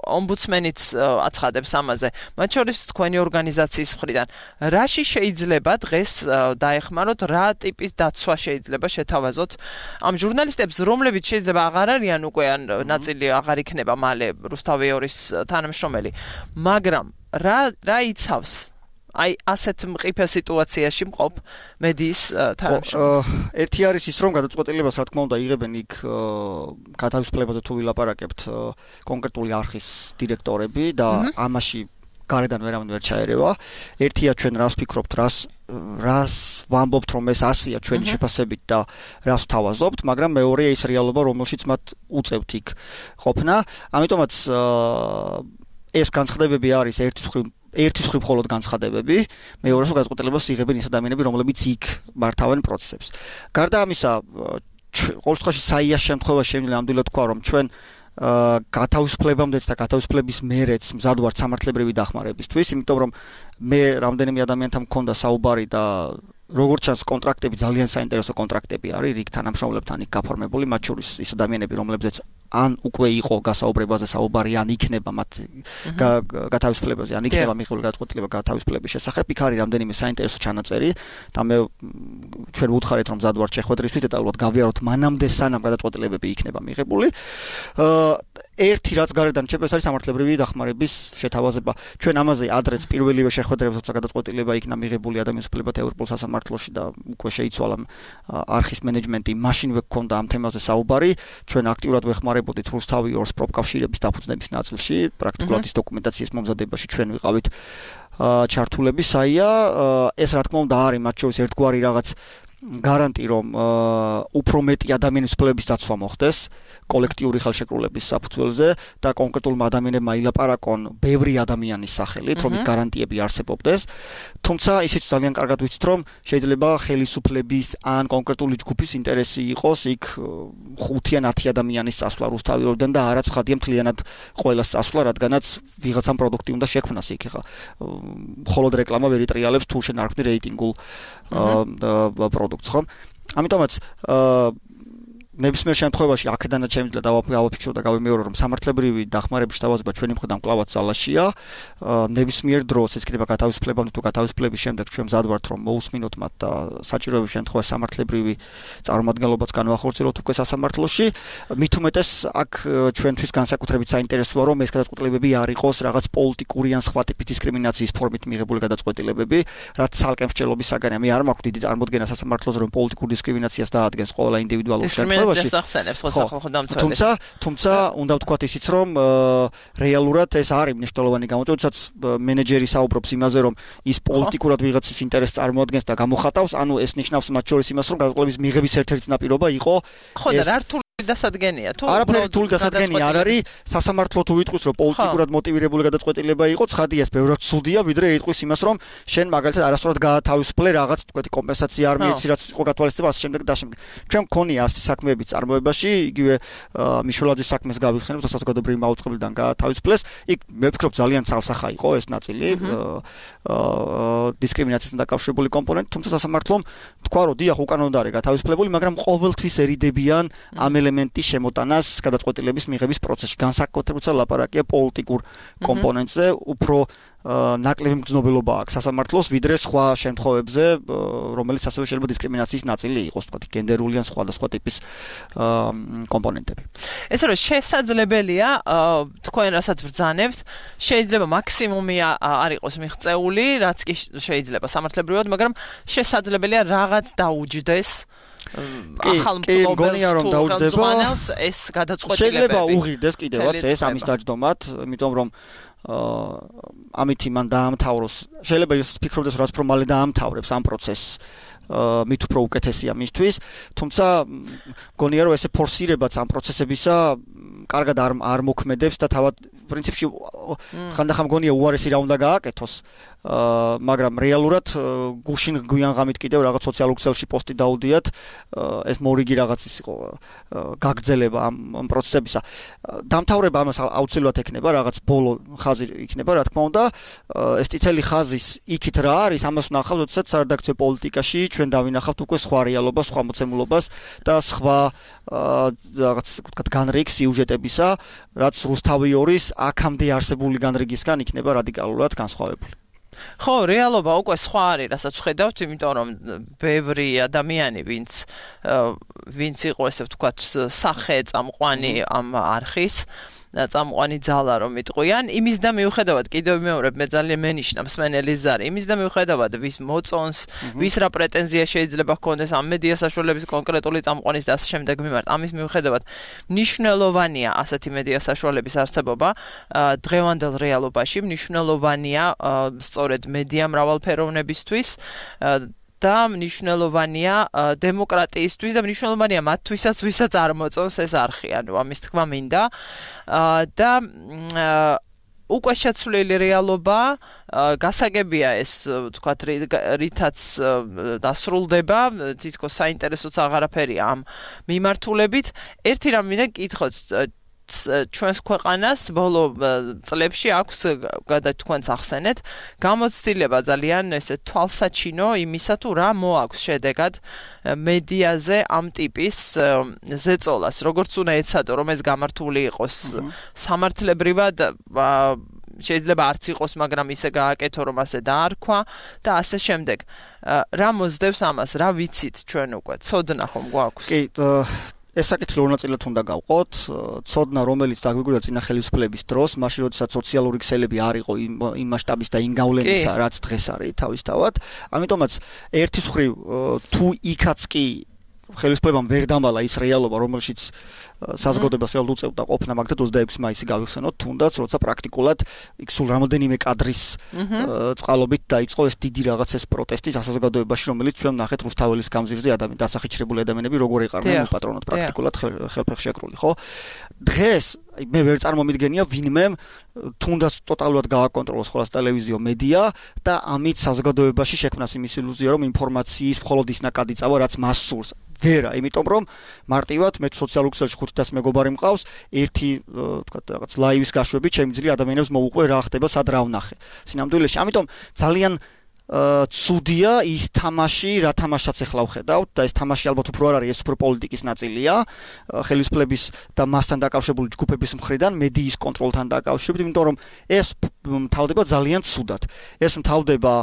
ომბუდსმენიც აცხადებს ამაზე. მათ შორის თქვენი ორგანიზაციის მხრიდან რაში შეიძლება დღეს დაეხმაროთ, რა ტიპის დაცვა შეიძლება შეთავაზოთ ამ ჟურნალისტებს, რომლებიც შეიძლება აღარ არიან უკვე ან ნაწილი აღარ იქნება მალე რუსთავიორის თანამშრომელი, მაგრამ რა რა იცავს აი ასეთ მყიფე სიტუაციაში მყოფ მედიის თანამშრომელს? ერთი არის ის რომ გადაწყვეტილებას რა თქმა უნდა იღებენ იქ გათავისუფლებაზე თუ ვილაპარაკებთ კონკრეტული არხის დირექტორები და ამაში გარედან ვერავინ ვერ ჩაერევა. ერთია ჩვენ რას ვფიქრობთ, რას რას ვამბობთ რომ ეს ასია ჩვენი შეფასებით და რას ვთავაზობთ, მაგრამ მეორეა ის რეალობა რომელშიც მათ უწევთ იქ ყოფნა. ამიტომაც ეს განცხადებები არის ერთის მხრივ ერთის მხრივ მხოლოდ განცხადებები, მეორეს მხრივ გადაწყვეტილებას იღებენ ის ადამიანები, რომლებიც იქ მართავენ პროცესებს. გარდა ამისა, ყოველ შემთხვევაში საიას შემთხვევაში შემიძლია ნამდვილად თქვა, რომ ჩვენ გათავისუფლებამდეც და გათავისუფლების მერეც მზად ვართ სამართლებრივი დახმარებისთვის, იმიტომ რომ მე რამდენიმე ადამიანთან მქონდა საუბარი და როგორც ჩანს კონტრაქტები ძალიან საინტერესო კონტრაქტები არის რიგ თანამშრომლებთან იქ გაფორმებული, მათ შორის ის ადამიანები, რომლებზეც ან უკვე იყო გასაუბრებაზე საუბარი, ან იქნება მათ გათავისუფლებაზე, ან იქნება მიღებული გადაწყვეტილება გათავისუფლების შესახებ. იქ არის რამდენიმე საინტერესო ჩანაწერი და მე ჩვენ ვუთხარით რომ მზად ვართ შეხვედრისთვის დეტალურად გავიაროთ მანამდე სანამ გადაწყვეტილებები იქნება მიღებული. ერთი რაც გარედან შეფეს არის სამართლებრივი დახმარების შეთავაზება. ჩვენ ამაზე ადრეც პირველივე შეხვედრებზე როცა გადაწყვეტილება იქნა მიღებული ადამიანის უფლებათა ევროპულ სასამართლოში და უკვე შეიცვალა არხის მენეჯმენტი, მაშინვე გქონდა ამ თემაზე საუბარი. ჩვენ აქტიურად ვეხმარებოდით რუსთავიორს პროფკავშირების დაფუძნების ნაწილში, პრაქტიკულად ის დოკუმენტაციის მომზადებაში ჩვენ ვიყავით ჩართულები. საია ეს რა თქმა უნდა არის მათ შორის ერთგვარი რაღაც გარანტი რომ უფრო მეტი ადამიანის უფლებების დაცვა მოხდეს კოლექტიური ხელშეკრულების საფუძველზე და კონკრეტულმა ადამიანებმა ილაპარაკონ ბევრი ადამიანის სახელით, რომ იქ გარანტიები არსებობდეს. თუმცა ისიც ძალიან კარგად ვიცით, რომ შეიძლება ხელისუფლების ან კონკრეტული ჯგუფის ინტერესი იყოს იქ ხუთი ან ათი ადამიანის წასვლა რუსთავიორიდან და არაც ხადია მთლიანად ყველას წასვლა, რადგანაც ვიღაცამ პროდუქტი უნდა შექმნას იქ. ხა მხოლოდ რეკლამა ვერ იტრიალებს თუ შენ არ ხდები რეიტინგულ პროდუქტს, ხო? ამიტომაც ნებისმიერ შემთხვევაში აქედანაც შემიძლია დავაფიქსირო და გავიმეორო რომ სამართლებრივი დახმარების შტაბაზება ჩვენი მხრიდან კლავაც ძალაშია ნებისმიერ დროს ეს იქნება გათავისუფლებამდე თუ გათავისუფლების შემდეგ ჩვენ მზად ვართ რომ მოусმინოთ მათ და საჭიროების შემთხვევაში სამართლებრივი წარმომადგენლობაც განვახორციელოთ უკვე სასამართლოში მით უმეტეს აქ ჩვენთვის განსაკუთრებით საინტერესოა რომ ეს გადაწყვეტილებები არ იყოს რაღაც პოლიტიკური ან სხვა ტიპის დისკრიმინაციის ფორმით მიღებული გადაწყვეტილებები რაც ცალკე მსჯელობის საგანია მე არ მაქვს დიდი წარმოდგენა სასამართლოზე რომ პოლიტიკურ დისკრიმინაციას დაადგენს ყველა ინდივიდუალურ შემთხვევაში თუმცა თუმცა უნდა ვთქვათ ისიც რომ რეალურად ეს არის მნიშვნელოვანი გამოწვევა როდესაც მენეჯერი საუბრობს იმაზე რომ ის პოლიტიკურად ვიღაცის ინტერესს წარმოადგენს და გამოხატავს ანუ ეს ნიშნავს მათ შორის იმას რომ გადაწყვეტილების მიღების ერთ-ერთი წინაპირობა იყო ხო და რა რთული დასადგენია თუ არაფერი რთული დასადგენი არ არის სასამართლო თუ იტყვის რომ პოლიტიკურად მოტივირებული გადაწყვეტილება იყო ცხადია ეს ბევრად ცუდია ვიდრე იტყვის იმას რომ შენ მაგალითად არასწორად გაათავისუფლე რაღაც თქვენი კომპენსაცია არ მიეცი რაც იყო გათვალისწინება ასე შემდეგ და შემდეგ ჩვენ მქონია ასეთი საქმეები წარმოებაში იგივე მიშველაძის საქმეს გავიხსენებთ საზოგადოებრივი მაუწყებლიდან გაათავისუფლეს იქ მე ვფიქრობ ძალიან ცალსახა იყო ეს ნაწილი დისკრიმინაციასთან დაკავშირებული კომპონენტი თუმცა სასამართლომ თქვა რომ დიახ უკან უნდა არის გათავისუფლებული მაგრამ ყოველთვის ერიდებიან ამ ელემენტის შემოტანას გადაწყვეტილების მიღების პროცესში განსაკუთრებით ლაპარაკია პოლიტიკურ კომპონენტზე უფრო ნაკლები მგრძნობელობა აქვს სასამართლოს ვიდრე სხვა შემთხვევებზე რომელიც ასევე შეიძლება დისკრიმინაციის ნაწილი იყოს თქვა გენდერული ან სხვადასხვა ტიპის კომპონენტები ეს რომ შესაძლებელია თქვენ რასაც ბრძანებთ შეიძლება მაქსიმუმი არ იყოს მიღწეული რაც კი შეიძლება სამართლებრივად მაგრამ შესაძლებელია რაღაც დაუჯდეს ახალ მფლობელს ეს გადაწყვეტილებები შეიძლება უღირდეს კიდევაც ეს ამის დაჯდომად იმიტომ რომ ამით იმან დაამთავროს შეიძლება ის ფიქრობდეს რაც უფრო მალე დაამთავრებს ამ პროცესს მით უფრო უკეთესია მისთვის თუმცა მგონია რომ ესე ფორსირებაც ამ პროცესებისა კარგად არ არ მოქმედებს და თავად პრინციპში ხანდახან მგონია უარესი რა უნდა გააკეთოს მაგრამ რეალურად გუშინ გვიან ღამით კიდევ რაღაც სოციალურ ქსელში პოსტი დაუდიათ ეს მორიგი რაღაც ის იყო გაგრძელება ამ პროცესებისა დამთავრება ამას აუცილებლად ექნება რაღაც ბოლო ხაზი იქნება რა თქმა უნდა ეს წითელი ხაზის იქით რა არის ამას ვნახავთ როდესაც სარედაქციო პოლიტიკაში ჩვენ დავინახავთ უკვე სხვა რეალობას სხვა მოცემულობას და სხვა რაღაც ვთქვათ განრიგ სიუჟეტებისა რაც რუსთავიორის აქამდე არსებული განრიგისგან იქნება რადიკალურად განსხვავებული ხო, რეალობა უკვე სხვა არის, რასაც ვხედავთ, იმიტომ რომ ბევრი ადამიანი, ვინც ვინც იყო ესე ვთქვათ, სახე წამყვანი ამ არხის წამყვანი ძალა რომ იტყვიან, იმის და მიუხედავად კიდევ ვიმეორებ მე ძალიან მენიშნა მსმენელის ზარი, იმის და მიუხედავად ვის მოწონს, ვის რა პრეტენზია შეიძლება ჰქონდეს ამ მედია საშუალების კონკრეტული წამყვანის და ასე შემდეგ მიმართ, ამის მიუხედავად მნიშვნელოვანია ასეთი მედია საშუალების არსებობა დღევანდელ რეალობაში, მნიშვნელოვანია სწორედ მედია მრავალფეროვნებისთვის და მნიშვნელოვანია დემოკრატიისთვის და მნიშვნელოვანია მათთვისაც, ვისაც არ მოწონს ეს არხი, ანუ ამის თქმა მინდა და უკვე შეცვლილი რეალობა გასაგებია ეს ვთქვათ რითაც დასრულდება თითქოს საინტერესოც აღარაფერია ამ მიმართულებით ერთი რამ მინდა გითხოთ ჩვენს ქვეყანას ბოლო წლებში აქვს გადათქვენს ახსენეთ გამოცდილება ძალიან ესე თვალსაჩინო იმისა თუ რა მოაქვს შედეგად მედიაზე ამ ტიპის ზეწოლას როგორც უნდა ეცადო რომ ეს გამართული იყოს სამართლებრივად შეიძლება არც იყოს მაგრამ ისე გააკეთო რომ ასე დაარქვა და ასე შემდეგ რა მოსდევს ამას რა ვიცით ჩვენ უკვე ცოდნა ხომ გვაქვს კი ეს საკითხი ორ ნაწილად უნდა გავყოთ. ცოდნა რომელიც დაგვიგვრდა წინა ხელისუფლების დროს, მაშინ როდესაც სოციალური ქსელები არ იყო იმ მასშტაბის და იმ გავლენისა, რაც დღეს არის თავისთავად. ამიტომაც ერთის მხრივ თუ იქაც კი ხელისუფლებამ ვერ დამალა ის რეალობა, რომელშიც საზოგადოებას რეალურად უწევდა ყოფნა მაგდად ოცდაექვსი მაისი გავიხსენოთ, თუნდაც როცა პრაქტიკულად იქ სულ რამოდენიმე კადრის წყალობით დაიწყო ეს დიდი რაღაც ეს პროტესტი საზოგადოებაში, რომელიც ჩვენ ნახეთ რუსთაველის გამზირზე ადამიანი დასახიჩრებული ადამიანები როგორ ეყარნენ პატრონად პრაქტიკულად ხელფეხშეკრული, ხო? დღეს მე ვერ წარმომიდგენია ვინმე თუნდაც ტოტალურად გააკონტროლოს ხოლმე ტელევიზიო მედია და ამით საზოგადოებაში შექმნას იმის ილუზია, რომ ინფორმაციის მხოლოდ ის ნაკადი წავა, რაც მას სურს. ვერა, იმიტომ რომ მარტივად მე სოციალურ ქსელში ხუთი ათას მეგობარი მყავს, ერთი თქვა რაღაც ლაივის გაშვებით შემიძლია ადამიანებს მოუყვე რა ხდება, სად რა ვნახე. სინამდვილეში, ამიტომ ძალიან ცუდია ის თამაში, რა თამაშსაც ახლა ვხედავთ და ეს თამაში ალბათ უფრო არ არის, ეს უფრო პოლიტიკის ნაწილია, ხელისუფლების და მასთან დაკავშირებული ჯგუფების მხრიდან, მედიის კონტროლთან დაკავშირებით, იმიტომ რომ ეს მთავრდება ძალიან ცუდად. ეს მთავრდება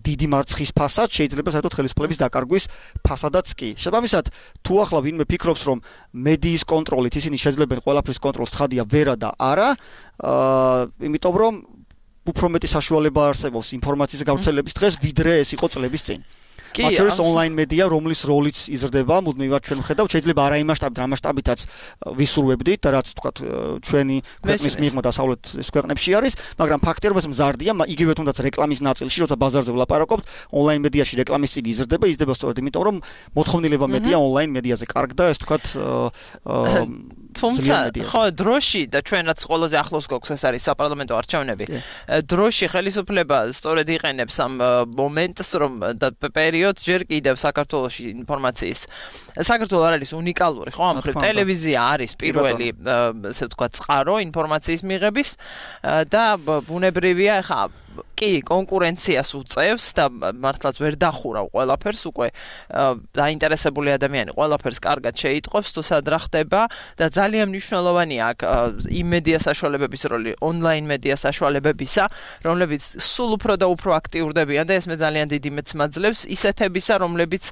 დიდი მარცხის ფასად, შეიძლება საერთოდ ხელისუფლების დაკარგვის ფასადაც კი. შესაბამისად, თუ ახლა ვინმე ფიქრობს, რომ მედიის კონტროლით ისინი შეძლებენ ყველაფრის კონტროლს, ცხადია ვერა და არა, იმიტომ რომ უფრო მეტი საშუალება არსებობს ინფორმაციის გავრცელების დღეს, ვიდრე ეს იყო წლების წინ. მათ შორის ონლაინ მედია, რომლის როლიც იზრდება, მუდმივად ჩვენ ვხედავთ, შეიძლება არა იმ მასშტაბით, რა მასშტაბითაც ვისურვებდით და რაც თქვათ ჩვენი ქვეყნის მიღმა დასავლეთის ქვეყნებში არის, მაგრამ ფაქტია, რომ ეს მზარდია, იგივე თუნდაც რეკლამის ნაწილში, როცა ბაზარზე ვლაპარაკობთ, ონლაინ მედიაში რეკლამის წილი იზრდება, იზრდება სწორედ იმიტომ, რომ მოთხოვნილება მეტია ონლაინ მედიაზე. კარგდა ეს თქვათ თუმცა ხო დროში და ჩვენ რაც ყველაზე ახლოს გვაქვს ეს არის საპარლამენტო არჩევნები. დროში ხელისუფლება სწორედ იყენებს ამ მომენტს, რომ და პერიოდს ჯერ კიდევ საქართველოში ინფორმაციის საქართველო არ არის უნიკალური, ხო? ამ მხრივ ტელევიზია არის პირველი, ესე ვთქვათ, წყარო ინფორმაციის მიღების და ბუნებრივია, ხა კი კონკურენციას უწევს და მართლაც ვერ დახურავ ყველაფერს, უკვე დაინტერესებული ადამიანი ყველაფერს კარგად შეიტყობს, თუ სად რა ხდება და ძალიან მნიშვნელოვანია აქ იმ მედია საშუალებების როლი, ონლაინ მედია საშუალებებისა, რომლებიც სულ უფრო და უფრო აქტიურდებიან და ეს მე ძალიან დიდი მეც მაძლევს ისეთებისა, რომლებიც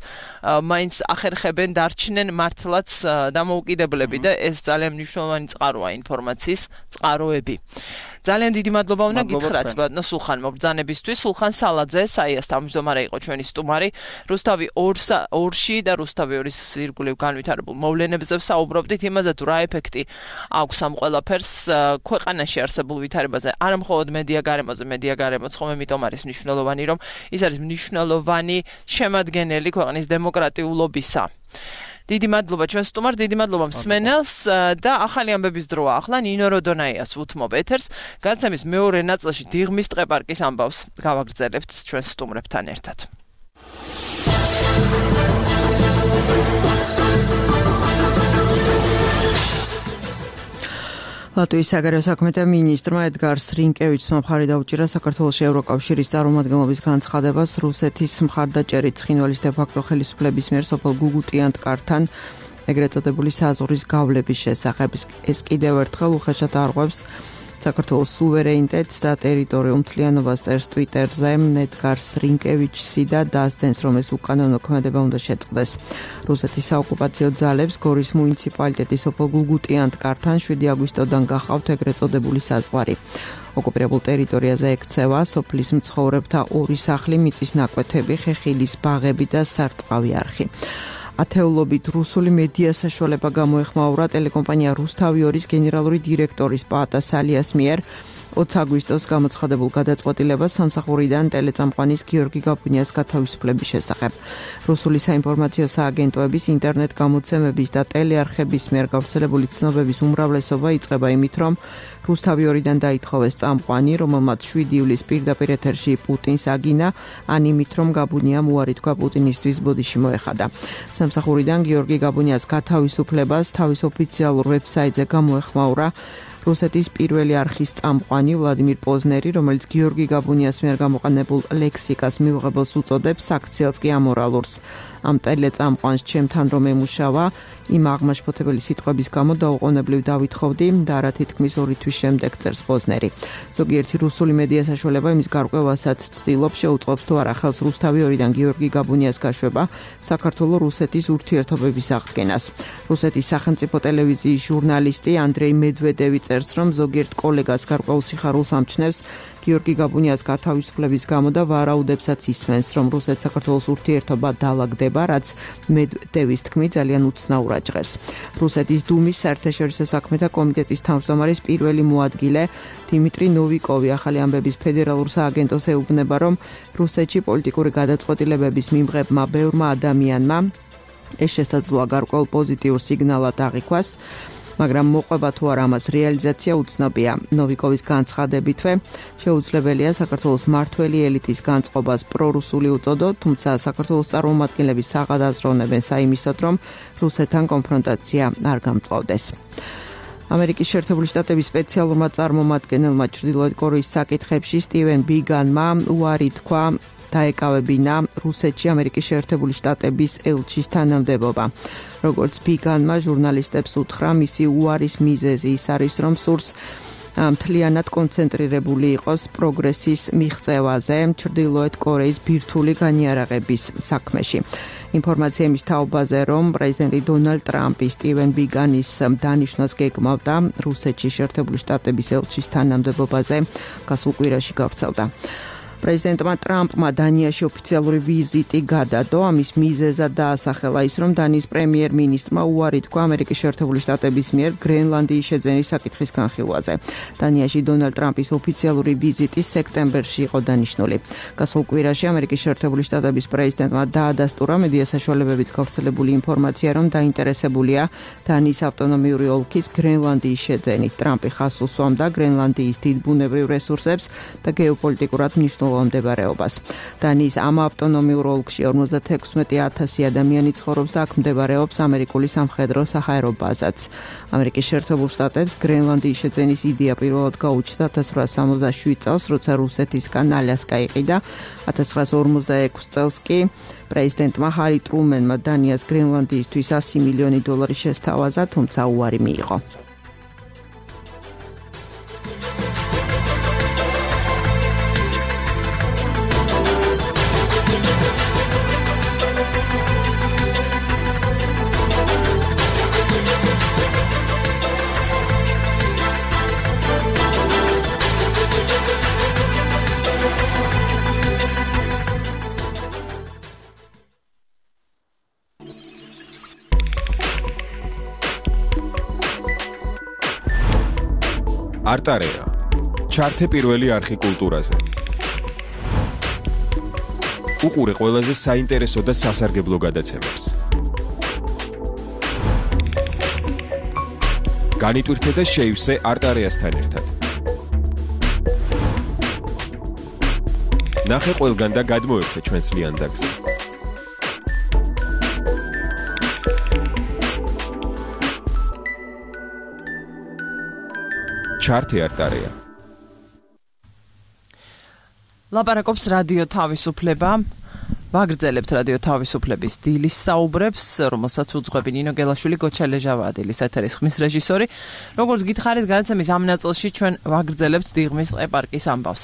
მაინც ახერხებენ დარჩნენ მართლაც დამოუკიდებლები და ეს ძალიან მნიშვნელოვანი წყაროა ინფორმაციის წყაროები. ძალიან დიდი მადლობა უნდა გითხრათ ბატონო სულხან მობრძანებისთვის. სულხან სალაძე, საიას თავმჯდომარე იყო ჩვენი სტუმარი. რუსთავი ორში და რუსთავი ორის ირგვლივ განვითარებულ მოვლენებზე საუბრობდით, იმაზე თუ რა ეფექტი აქვს ამ ყველაფერს ქვეყანაში არსებულ ვითარებაზე, არა მხოლოდ მედია გარემოზე, მედია გარემოც ხომ ამიტომ არის მნიშვნელოვანი, რომ ის არის მნიშვნელოვანი შემადგენელი ქვეყნის დემოკრატიულობისა. დიდი მადლობა ჩვენ სტუმარს, დიდი მადლობა მსმენელს და ახალი ამბების დროა ახლა ნინო როდონაიას უთმობ ეთერს. განცემის მეორე ნაწილში დიღმის ტყეპარკის ამბავს გავაგრძელებთ ჩვენ სტუმრებთან ერთად. ლატვიის საგარეო საქმეთა მინისტრმა ედგარ სრინკევიჩმა მხარი დაუჭირა საქართველოში ევროკავშირის წარმომადგენლობის განცხადებას რუსეთის მხარდაჭერით ცხინვალის დე-ფაქტო ხელისუფლების მიერ სოფელ გუგუტიანტკართან ეგრეთ წოდებული საზღვრის გავლების შესახებ. ეს კიდევ ერთხელ უხეშად არღვევს საქართველოს სუვერენიტეტს და ტერიტორიულ მთლიანობას წერს ტვიტერზე ედგარ სრინკევიჩი და დასძენს, რომ ეს უკანონო ქმედება უნდა შეწყდეს. რუსეთის საოკუპაციო ძალებს გორის მუნიციპალიტეტის სოფელ გუგუტიანტკართან შვიდი აგვისტოდან გახავთ ეგრეთ წოდებული საზღვარი. ოკუპირებულ ტერიტორიაზე ექცევა სოფლის მცხოვრებთა ორი სახლი, მიწის ნაკვეთები, ხეხილის ბაღები და სარწყავი არხი. ათეულობით რუსული მედია საშუალება გამოეხმაურა ტელეკომპანია რუსთავი ორის გენერალური დირექტორის პაატა სალიას მიერ ოცი აგვისტოს გამოცხადებულ გადაწყვეტილებას სამსახურიდან ტელეწამყვანის გიორგი გაბუნიას გათავისუფლების შესახებ. რუსული საინფორმაციო სააგენტოების ინტერნეტ გამოცემების და ტელეარხების მიერ გავრცელებული ცნობების უმრავლესობა იწყება იმით, რომ რუსთავი ორიდან დაითხოვეს წამყვანი, რომელმაც შვიდი ივლისს პირდაპირ ეთერში პუტინს აგინა, ან იმით, რომ გაბუნიამ უარი თქვა პუტინისთვის ბოდიში მოეხადა. სამსახურიდან გიორგი გაბუნიას გათავისუფლებას თავის ოფიციალურ ვებსაიტზე გამოეხმაურა რუსეთის პირველი არხის წამყვანი ვლადიმირ პოზნერი, რომელიც გიორგი გაბუნიას მიერ გამოყენებულ ლექსიკას მიუღებელს უწოდებს, საქციელს კი ამორალურს. ამ ტელეწამყვანს ჩემთან რომ ემუშავა, იმ აღმაშფოთებელი სიტყვების გამო დაუყოვნებლივ დავითხოვდი და რა თითქმის ორი თვის შემდეგ წერს პოზნერი. ზოგიერთი რუსული მედია საშუალება იმის გარკვევასაც ცდილობს, შეუწყობს თუ არა ხელს რუსთავი ორიდან გიორგი გაბუნიას გაშვება საქართველო-რუსეთის ურთიერთობების აღდგენას. რუსეთის სახელმწიფო ტელევიზიის ჟურნალისტი ანდრეი მედვედევი წერს, რომ ზოგიერთ კოლეგას გარკვეულ სიხარულს ამჩნევს გიორგი გაბუნიას გათავისუფლების გამო და ვარაუდებსაც ისმენს, რომ რუსეთ-საქართველოს ურთიერთობა დაალაგდება, რაც მედვედევის თქმით ძალიან უცნაურად ჟღერს. რუსეთის დუმის საერთაშორისო საქმეთა კომიტეტის თავმჯდომარის პირველი მოადგილე დიმიტრი ნოვიკოვი ახალი ამბების ფედერალურ სააგენტოს ეუბნება, რომ რუსეთში პოლიტიკური გადაწყვეტილებების მიმღებმა ბევრმა ადამიანმა ეს შესაძლოა გარკვეულ პოზიტიურ სიგნალად აღიქვას, მაგრამ მოყვება თუ არა ამას რეალიზაცია უცნობია. ნოვიკოვის განცხადებითვე შეუძლებელია საქართველოს მართველი ელიტის განწყობას პრორუსული უწოდოთ, თუმცა საქართველოს წარმომადგენლები საღად აზროვნებენ საიმისოდ, რომ რუსეთთან კონფრონტაცია არ გამწვავდეს. ამერიკის შეერთებული შტატების სპეციალურმა წარმომადგენელმა ჩრდილოეთ კორეის საკითხებში სტივენ ბიგანმა უარი თქვა დაეკავებინა რუსეთში ამერიკის შეერთებული შტატების ელჩის თანამდებობა. როგორც ბიგანმა ჟურნალისტებს უთხრა, მისი უარის მიზეზი ის არის, რომ სურს მთლიანად კონცენტრირებული იყოს პროგრესის მიღწევაზე ჩრდილოეთ კორეის ბირთვული განიარაღების საქმეში. ინფორმაცია იმის თაობაზე, რომ პრეზიდენტი დონალდ ტრამპი სტივენ ბიგანის დანიშვნას გეგმავდა რუსეთში შეერთებული შტატების ელჩის თანამდებობაზე გასულ კვირაში გავრცელდა. პრეზიდენტმა ტრამპმა დანიაში ოფიციალური ვიზიტი გადადო, ამის მიზეზად დაასახელა ის, რომ დანიის პრემიერ-მინისტრმა უარი თქვა ამერიკის შეერთებული შტატების მიერ გრენლანდიის შეძენის საკითხის განხილვაზე. დანიაში დონალდ ტრამპის ოფიციალური ვიზიტი სექტემბერში იყო დანიშნული. გასულ კვირაში ამერიკის შეერთებული შტატების პრეზიდენტმა დაადასტურა მედია საშუალებებით გავრცელებული ინფორმაცია, რომ დაინტერესებულია დანიის ავტონომიური ოლქის გრენლანდიის შეძენით. ტრამპი ხაზს უსვამდა გრენლანდიის დიდ ბუნებრივ რესურსებს და გეოპოლიტიკურად მნიშვნელოვან მდებარეობას. დანიის ამ ავტონომიურ ოლქში ორმოცდაექვსმეტი ათასი ადამიანი ცხოვრობს და აქ მდებარეობს ამერიკული სამხედრო საჰაერო ბაზაც. ამერიკის შეერთებულ შტატებს გრენლანდიის შეძენის იდეა პირველად გაუჩნდა ათას რვაასი სამოცდაშვიდ წელს, როცა რუსეთისგან ალასკა იყიდა. ათას ცხრაასი ორმოცდაექვსი წელს კი პრეზიდენტმა ჰარი ტრუმენმა დანიას გრენლანდიისთვის ასი მილიონი დოლარი შესთავაზა, თუმცა უარი მიიღო. არტარეა. ჩართე პირველი არხი კულტურაზე. უყურე ყველაზე საინტერესო და სასარგებლო გადაცემებს. განიტვირთე და შეივსე არტარეასთან ერთად. ნახე ყველგან და გადმოერთე ჩვენს ლიანდაგზე. ჩართე არტარეა. ლაპარაკობს რადიო თავისუფლება. ვაგრძელებთ რადიო თავისუფლების დილის საუბრებს, რომელსაც უძღვები ნინო გელაშვილი, გოჩა ლეჟავადილის ეთერის ხმის რეჟისორი. როგორც გითხარით, გადაცემის ამ ნაწილში ჩვენ ვაგრძელებთ დიღმის ტყე-პარკის ამბავს.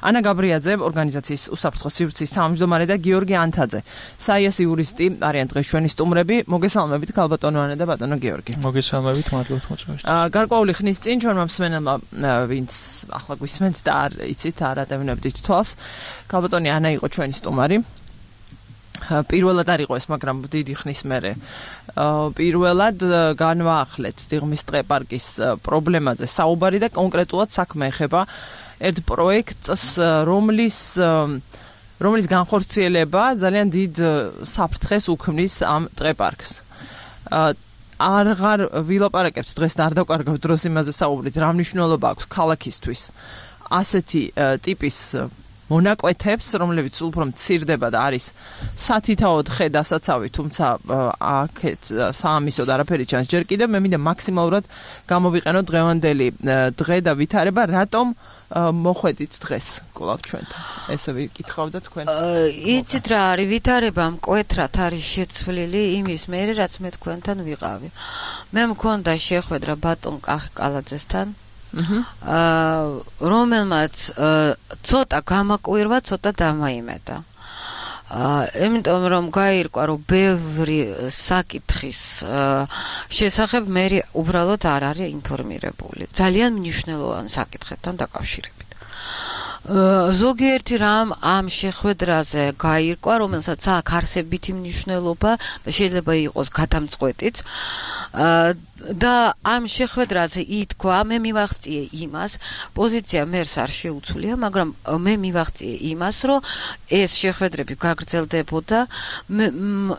ანა გაბრიაძე, ორგანიზაციის უსაფრთხო სივრცის თავმჯდომარე და გიორგი ანთაძე, საიას იურისტი არიან დღეს ჩვენი სტუმრები. მოგესალმებით ქალბატონო ანა და ბატონო გიორგი. მოგესალმებით, მადლობთ მოწვევისთვის. გარკვეული ხნის წინ ჩვენმა მსმენელმა, ვინც ახლა გვისმენთ და არ იცით, არ ატევინებდით თვალს, ქალბატონი ანა იყო ჩვენი სტუმარი. პირველად არ იყო ეს, მაგრამ დიდი ხნის მერე პირველად განვაახლეთ დიღმის ტყე-პარკის პრობლემაზე საუბარი და კონკრეტულად საქმე ეხება ერთ პროექტს, რომლის რომლის განხორციელება ძალიან დიდ საფრთხეს უქმნის ამ ტყე-პარკს. აღარ ვილაპარაკებთ დღეს და არ დავკარგავთ დროს იმაზე საუბრით, რა მნიშვნელობა აქვს ქალაქისთვის ასეთი ტიპის მონაკვეთებს, რომლებიც სულ უფრო მცირდება და არის სათითაოდ ხე დასაცავი, თუმცა აქეთ საამისოდ არაფერი ჩანს ჯერ კიდევ. მე მინდა მაქსიმალურად გამოვიყენოთ დღევანდელი დღე და ვითარება, რატომ მოხვედით დღეს კვლავ ჩვენთან. ესე ვიკითხავ და თქვენ. იცით რა არის ვითარება, მკვეთრად არის შეცვლილი იმის მერე, რაც მე თქვენთან ვიყავი. მე მქონდა შეხვედრა ბატონ კახკალაძესთან. აა რომელმაც ცოტა გამაკვირვა, ცოტა დამაიმედა. აა იმიტომ რომ გაირკვა, რომ ბევრი საკითხის შესახებ მე უბრალოდ არ არის ინფორმირებული. ძალიან მნიშვნელოვანი საკითხებთან დაკავშირებით. ზოგიერთი რამ ამ შეხვედრაზე გაირკვა, რომელსაც აქვს არსებითი მნიშვნელობა და შეიძლება იყოს გადამწყვეტიც. და ამ შეხვედრაზე ითქვა, მე მივახციე იმას, პოზიცია მერს არ შეუცვლია, მაგრამ მე მივახციე იმას, რომ ეს შეხვედრები გაგრძელდებოდა,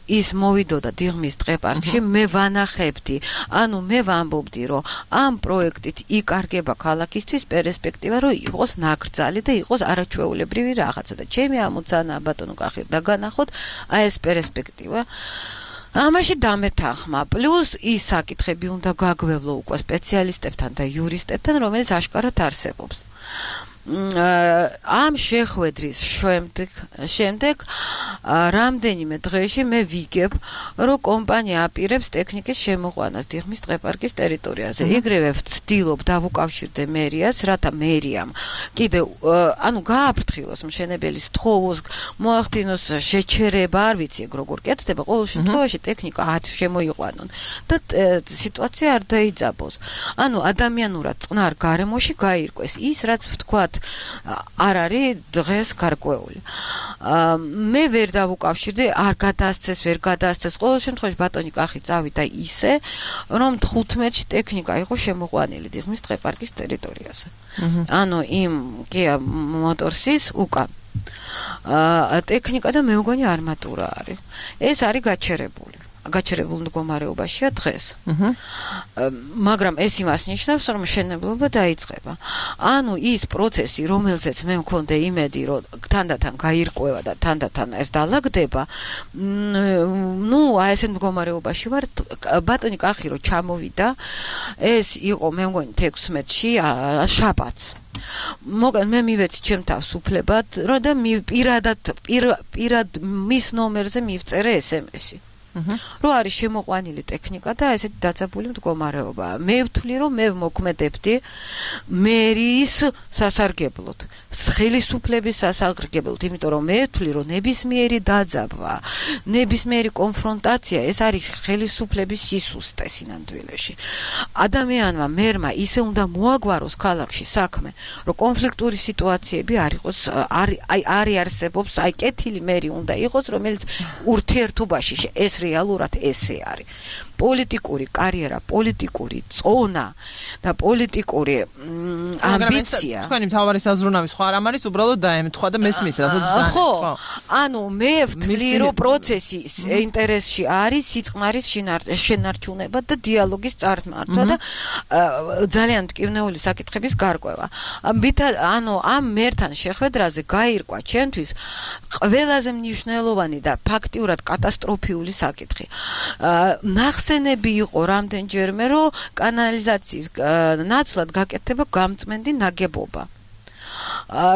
ის მოვიდოდა დიღმის ტყე-პარკში, მე ვანახებდი, ანუ მე ვამბობდი, რომ ამ პროექტით იკარგება ქალაქისთვის პერსპექტივა, რომ იყოს ნაკრძალი და იყოს არაჩვეულებრივი რაღაცა და ჩემი ამოცანა ბატონო კახი დაგანახოთ, აი ეს პერსპექტივა. ამაში დამეთანხმა, პლუს ის საკითხები უნდა გაგვევლო უკვე სპეციალისტებთან და იურისტებთან, რომელიც აშკარად არსებობს. ამ შეხვედრის შემდეგ შემდეგ რამდენიმე დღეში მე ვიგებ, რომ კომპანია აპირებს ტექნიკის შემოყვანას დიღმის ტყეპარკის ტერიტორიაზე. იგივე ვცდილობ დავუკავშირდე მერიას, რათა მერიამ კიდე ანუ გააფრთხილოს მშენებელის თხოვოს, მოახდინოს შეჩერება, არ ვიცი ეგ როგორ კეთდება, ყოველ შემთხვევაში ტექნიკა არ შემოიყვანონ და სიტუაცია არ დაიძაბოს. ანუ ადამიანურად წყნარ გარემოში გაირკვეს ის, რაც ვთქვათ, არ არის დღეს გარკვეული. მე ვერ დავუკავშირდი, არ გადაასცეს, ვერ გადაასცეს. ყოველ შემთხვევაში ბატონი კახი წავიდა ისე, რომ თხუთმეტში ტექნიკა იყო შემოყვანილი დიღმის ტყეპარკის ტერიტორიაზე. ანუ იმ Kia Motorsis უკან. ტექნიკა და მე მგონი არმატურა არის. ეს არის გაჩერებული. გაჩერებულ მდგომარეობაშია დღეს. მაგრამ ეს იმას ნიშნავს, რომ მშენებლობა დაიწყება. ანუ ის პროცესი, რომელზეც მე მქონდა იმედი, რომ თანდათან გაირკვევა და თანდათან ეს დალაგდება, ნუ აი ესეთ მდგომარეობაში ვარ. ბატონი კახი რო ჩამოვიდა, ეს იყო მე მგონი თექვსმეტში შაბათს. მოკლედ მე მივეცი ჩემ თავს უფლებად, რომ და პირადად პირად მის ნომერზე მივწერე ეს ემ ესი. რო არის შემოყვანილი ტექნიკა და ესეთი დაძაბული მდგომარეობაა. მე ვთვლი, რომ მე ვმოქმედებდი მერის სასარგებლოდ, ხელისუფლების სასარგებლოდ, იმიტომ რომ მე ვთვლი, რომ ნებისმიერი დაძაბვა, ნებისმიერი კონფრონტაცია ეს არის ხელისუფლების სისუსტე სინამდვილეში. ადამიანმა მერმა ისე უნდა მოაგვაროს ქალაქში საქმე, რომ კონფლიქტური სიტუაციები არ იყოს, აი არ არსებობს, აი კეთილი მერი უნდა იყოს, რომელიც ურთიერთობაში ეს რეალურად ესე არის. პოლიტიკური კარიერა, პოლიტიკური წონა და პოლიტიკური ამბიცია. თქვენი მთავარი საზრუნავი სხვა რამ არის, უბრალოდ დაემთხვა და მესმის, რასაც დაემთხვა. ხო, ანუ მე ვთვლი, რომ პროცესი ინტერესში არის სიწყნარის შენარჩუნება და დიალოგის წარმართვა და ძალიან მტკივნეული საკითხების გარკვევა. ანუ ამ მერთან შეხვედრაზე გაირკვა ჩემთვის ყველაზე მნიშვნელოვანი და ფაქტიურად კატასტროფიული საკითხი. ნახსენები იყო რამდენჯერმე, რომ კანალიზაციის ნაცვლად გაკეთდება გამწმენდი ნაგებობა.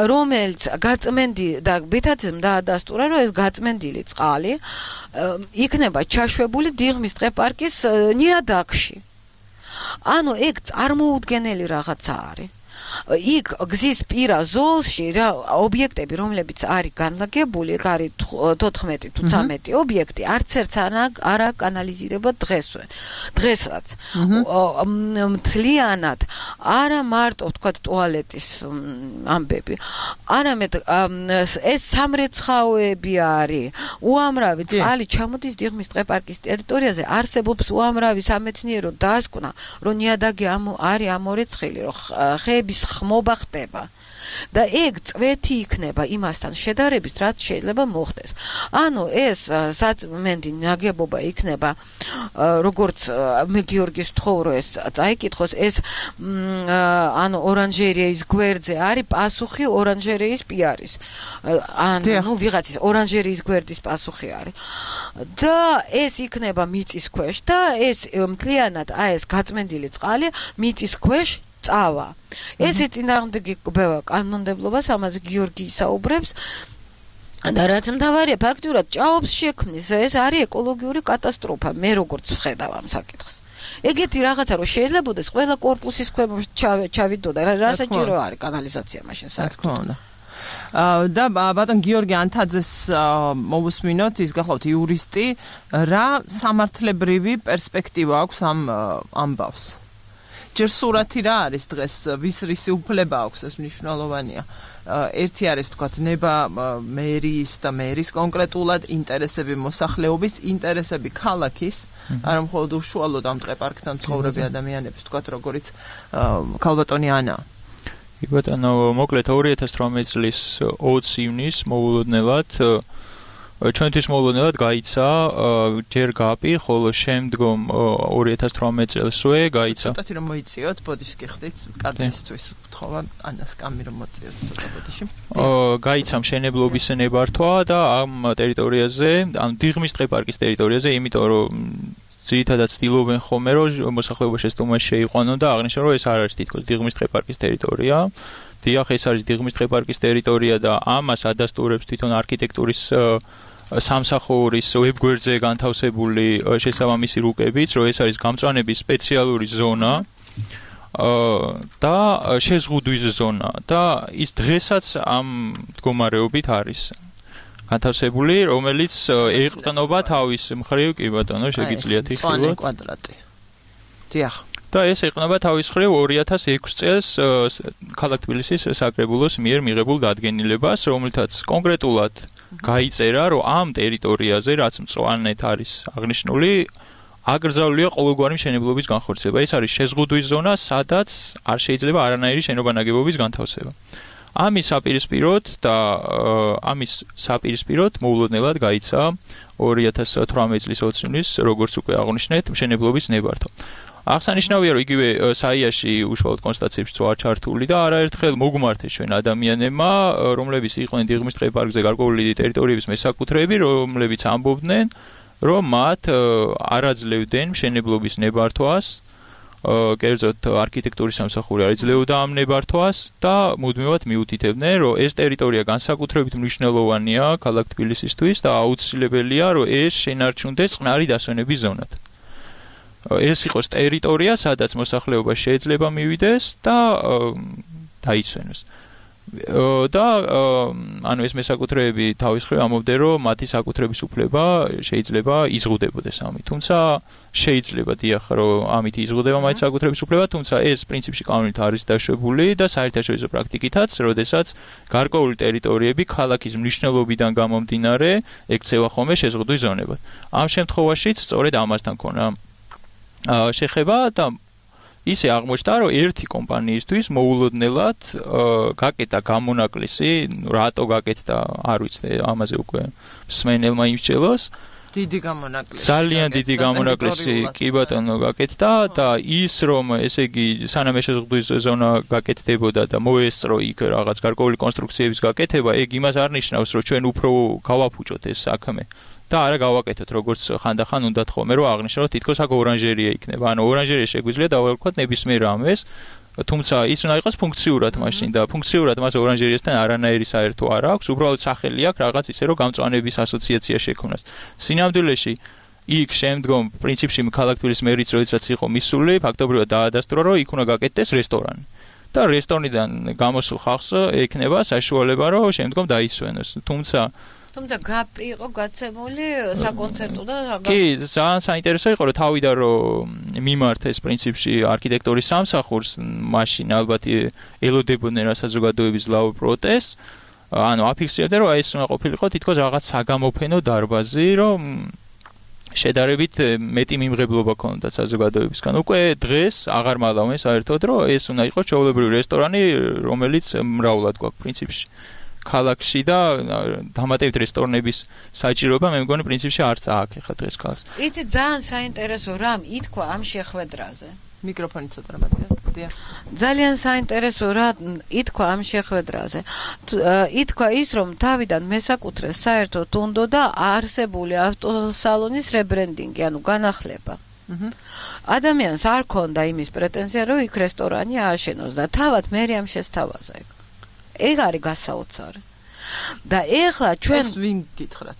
რომელიც გაწმენდი და ბეთაცემ დაადასტურა, რომ ეს გაწმენდილი წყალი იქნება ჩაშვებული დიღმის ტყეპარკის ნიადაგში. ანუ ეგ წარმოუდგენელი რაღაცა არის. იქ გზის პირა ზოლში რა ობიექტები, რომლებიც არის განლაგებული, ეგ არის თოთხმეტი თუ ცამეტი ობიექტი, არც ერთს არა კანალიზირება დღესვე. დღესაც. მთლიანად არა მარტო თქვა ტუალეტის ამბები, არამედ ეს სამრეცხაოები არის, უამრავი წყალი ჩამოდის დიღმის ტყეპარკის ტერიტორიაზე, არსებობს უამრავი სამეცნიერო დასკვნა, რომ ნიადაგი არის ამორეცხილი, რომ ხეების ხმობა ხდება და ეგ წვეთი იქნება იმასთან შედარებით, რაც შეიძლება მოხდეს. ანუ ეს საწმენდი ნაგებობა იქნება, როგორც მე გიორგის თხოვრო ეს წაიკითხოს, ეს ანუ ორანჟერეის გვერდზე არის პასუხი ორანჟერეის პიარის. ანუ ვიღაცის ორანჟერეის გვერდის პასუხი არის. და ეს იქნება მიწის ქვეშ და ეს მთლიანად აი ეს გაწმენდილი წყალი მიწის ქვეშ წავა. ესე წინააღმდეგობა კანონმდებლობას ამაზე გიორგი ისაუბრებს და რაც მთავარია ფაქტურად ჭაობს შექმნის, ეს არის ეკოლოგიური კატასტროფა, მე როგორც ვხედავ ამ საკითხს. ეგეთი რაღაცა რომ შეიძლებაოდეს ყველა კორპუსის ქვემოთ ჩავიდოდა, რასაჭირო არის კანალიზაცია მაშინ საერთოდ. და ბატონ გიორგი ანთაძეს მოვუსმინოთ, ის გახლავთ იურისტი, რა სამართლებრივი პერსპექტივა აქვს ამ ამბავს? ჯერ სურათი რა არის დღეს, ვის რისი უფლება აქვს, ეს მნიშვნელოვანია. ერთი არის თქვათ ნება მერის და მერის კონკრეტულად ინტერესები, მოსახლეობის ინტერესები, ქალაქის, არა მხოლოდ უშუალოდ ამ ტყეპარკთან მცხოვრები ადამიანების, თქვათ როგორიც ქალბატონი ანა. ბატონო, მოკლედ ორი ათას ათორმეტი წლის ოცი ივნისს მოულოდნელად ჩვენთვის მოულოდნელად გაიცა ჯერ გაპი, ხოლო შემდგომ ორი ათას ათორმეტი წელსვე გაიცა. ცოტათი რომ მოიწიოთ, ბოდიში გიხდით, კარგისთვის ვთხოვა ანას კამი რომ მოწიოთ ცოტა ბოდიში. გაიცა მშენებლობის ნებართვა და ამ ტერიტორიაზე, ამ დიღმის ტყეპარკის ტერიტორიაზე, იმიტომ რომ ძირითადად ცდილობენ ხოლმე, რომ მოსახლეობაში ეს თომა შეიყვანონ და აღნიშნონ, რომ ეს არ არის თითქოს დიღმის ტყეპარკის ტერიტორია. დიახ, ეს არის დიღმის დღეპარკის ტერიტორია და ამას ადასტურებს თვითონ არქიტექტურის სამსახურის ვებგვერდზე განთავსებული შესაბამისი რუკებიც, რომ ეს არის გამწვანების სპეციალური ზონა და შეზღუდვის ზონა და ის დღესაც ამ მდგომარეობით არის განთავსებული, რომელიც ეყრდნობა თავის მხრივ, კი ბატონო, შეგიძლიათ იხილოთ. მწვანე კვადრატი. დიახ. და ეს ეყრდნობა თავის მხრივ ორი ათას ექვსი წელს ქალაქ თბილისის საკრებულოს მიერ მიღებულ დადგენილებას, რომელთაც კონკრეტულად გაიწერა, რომ ამ ტერიტორიაზე, რაც მწვანეთ არის აღნიშნული, აკრძალულია ყოველგვარი მშენებლობის განხორციელება. ეს არის შეზღუდვის ზონა, სადაც არ შეიძლება არანაირი შენობა-ნაგებობის განთავსება. ამის საპირისპიროდ და ამის საპირისპიროდ მოულოდნელად გაიცა ორი ათას თვრამეტი წლის ოცი ივნის, როგორც უკვე აღვნიშნეთ, მშენებლობის ნებართვა. აღსანიშნავია, რომ იგივე საიაში უშუალოდ კონსტატაციებშიც ვარ ჩართული და არაერთხელ მოგმართეს ჩვენ ადამიანებმა, რომლებიც იყვნენ დიღმის დღეპარკზე გარკვეული ტერიტორიების მესაკუთრეები, რომლებიც ამბობდნენ, რომ მათ არ აძლევდნენ მშენებლობის ნებართვას, კერძოდ არქიტექტურის სამსახური არ იძლეოდა ამ ნებართვას და მუდმივად მიუთითებდნენ, რომ ეს ტერიტორია განსაკუთრებით მნიშვნელოვანია ქალაქ თბილისისთვის და აუცილებელია, რომ ეს შენარჩუნდეს წყნარი დასვენების ზონად. ეს იყოს ტერიტორია, სადაც მოსახლეობა შეიძლება მივიდეს და დაიცვენოს. და ანუ ეს მესაკუთრეები თავის მხრივ ამბობდნენ, რომ მათი საკუთრების უფლება შეიძლება იზღუდებოდეს ამით. თუმცა შეიძლება დიახ, რომ ამით იზღუდება მათი საკუთრების უფლება, თუმცა ეს პრინციპში კანონით არის დაშვებული და საერთაშორისო პრაქტიკითაც, როდესაც გარკვეული ტერიტორიები ქალაქის მნიშვნელობიდან გამომდინარე ექცევა ხოლმე შეზღუდვის ზონებად. ამ შემთხვევაშიც სწორედ ამასთან ქონა შეხება და ისე აღმოჩნდა, რომ ერთი კომპანიისთვის მოულოდნელად გაკეტა გამონაკლისი, რატო გაკეთდა, არ ვიცი, ამაზე უკვე მსმენელმა იმსჯელოს. დიდი გამონაკლისი. ძალიან დიდი გამონაკლისი კი ბატონო გაკეთდა და ის რომ ესე იგი სანამ შეზღუდვის ზონა გაკეთდებოდა და მოესწრო იქ რაღაც გარკვეული კონსტრუქციების გაკეთება, ეგ იმას არ ნიშნავს, რომ ჩვენ უფრო გავაფუჭოთ ეს საქმე. და არა გავაკეთოთ, როგორც ხანდახან უნდათ ხოლმე, რომ აღნიშნოთ, თითქოს აქ ორანჟერია იქნება. ანუ ორანჟერია შეგვიძლია დავარქვათ ნებისმიერ რამეს, თუმცა ის უნდა იყოს ფუნქციურად მაშინ და ფუნქციურად მას ორანჟერიასთან არანაირი საერთო არ აქვს, უბრალოდ სახელი აქვს რაღაც ისე, რომ გამწვანების ასოციაცია შექმნას. სინამდვილეში იქ შემდგომ პრინციპში ქალაქ თბილისის მერიც როდესაც იყო მისული, ფაქტობრივად დაადასტურა, რომ იქ უნდა გაკეთდეს რესტორანი. და რესტორნიდან გამოსულ ხალხს ექნება საშუალება, რომ შემდგომ დაისვენოს. თუმცა თუმცა გაპი იყო გაცემული საკონცერტო და კი, ძალიან საინტერესო იყო, რომ თავიდან რომ მიმართეს პრინციპში არქიტექტურის სამსახურს, მაშინ ალბათ ელოდებოდნენ რა საზოგადოების ლაურ პროტესტს, ანუ აფიქსირებდნენ, რომ ეს უნდა ყოფილიყო თითქოს რაღაც საგამოფენო დარბაზი, რომ შედარებით მეტი მიმღებლობა ქონდა საზოგადოებისგან. უკვე დღეს აღარ მალავენ საერთოდ, რომ ეს უნდა იყოს ჩვეულებრივი რესტორანი, რომელიც მრავლად გვაქვს პრინციპში. ქალაქში და დამატებით რესტორნების საჭიროება მე მგონი პრინციპში არც აქვს ახლა დღეს ქალაქს. იცი ძალიან საინტერესო რამ ითქვა ამ შეხვედრაზე. მიკროფონი ცოტა რამატია. ძალიან საინტერესო რა ითქვა ამ შეხვედრაზე. ითქვა ის, რომ თავიდან მესაკუთრეს საერთოდ უნდოდა არსებული ავტოსალონის რებრენდინგი, ანუ განახლება. ადამიანს არ ქონდა იმის პრეტენზია, რომ იქ რესტორანი ააშენოს და თავად მერიამ შესთავაზა ეგ. ეგ არის გასაოცარი. და ეხლა ჩვენ ეს ვინ გითხრათ?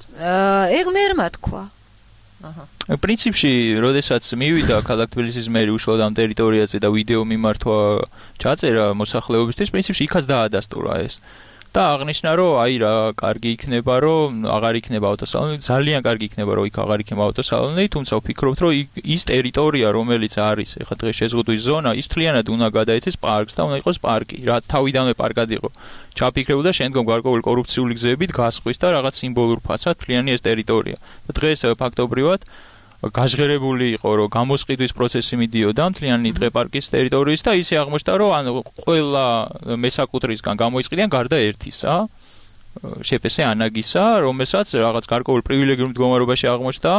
ეგ მერმა თქვა. აჰა. პრინციპში, როდესაც მივიდა ქალაქ თბილისის მერი უშუალოდ ამ ტერიტორიაზე და ვიდეო მიმართვა ჩაწერა მოსახლეობისთვის, პრინციპში იქაც დაადასტურა ეს. და აღნიშნა, რომ აი რა, კარგი იქნება, რომ აღარ იქნება ავტოსალონი, ძალიან კარგი იქნება, რომ იქ აღარ იქნება ავტოსალონი, თუმცა ვფიქრობთ, რომ ის ტერიტორია, რომელიც არის ეხლა დღეს შეზღუდვის ზონა, ის მთლიანად უნდა გადაეცეს პარკს და უნდა იყოს პარკი, რაც თავიდანვე პარკად იყო ჩაფიქრებული და შემდგომ გარკვეული კორუფციული გზებით გასხვის და რაღაც სიმბოლურ ფასად მთლიანი ეს ტერიტორია. და დღეს ფაქტობრივად გაჟღერებული იყო, რომ გამოსყიდვის პროცესი მიდიოდა მთლიანი დღეპარკის ტერიტორიის და ისე აღმოჩნდა, რომ ანუ ყველა მესაკუთრისგან გამოიყიდიან გარდა ერთისა, შეფესე ანაგისა, რომელსაც რაღაც გარკვეულ პრივილეგიურ მდგომარეობაში აღმოჩნდა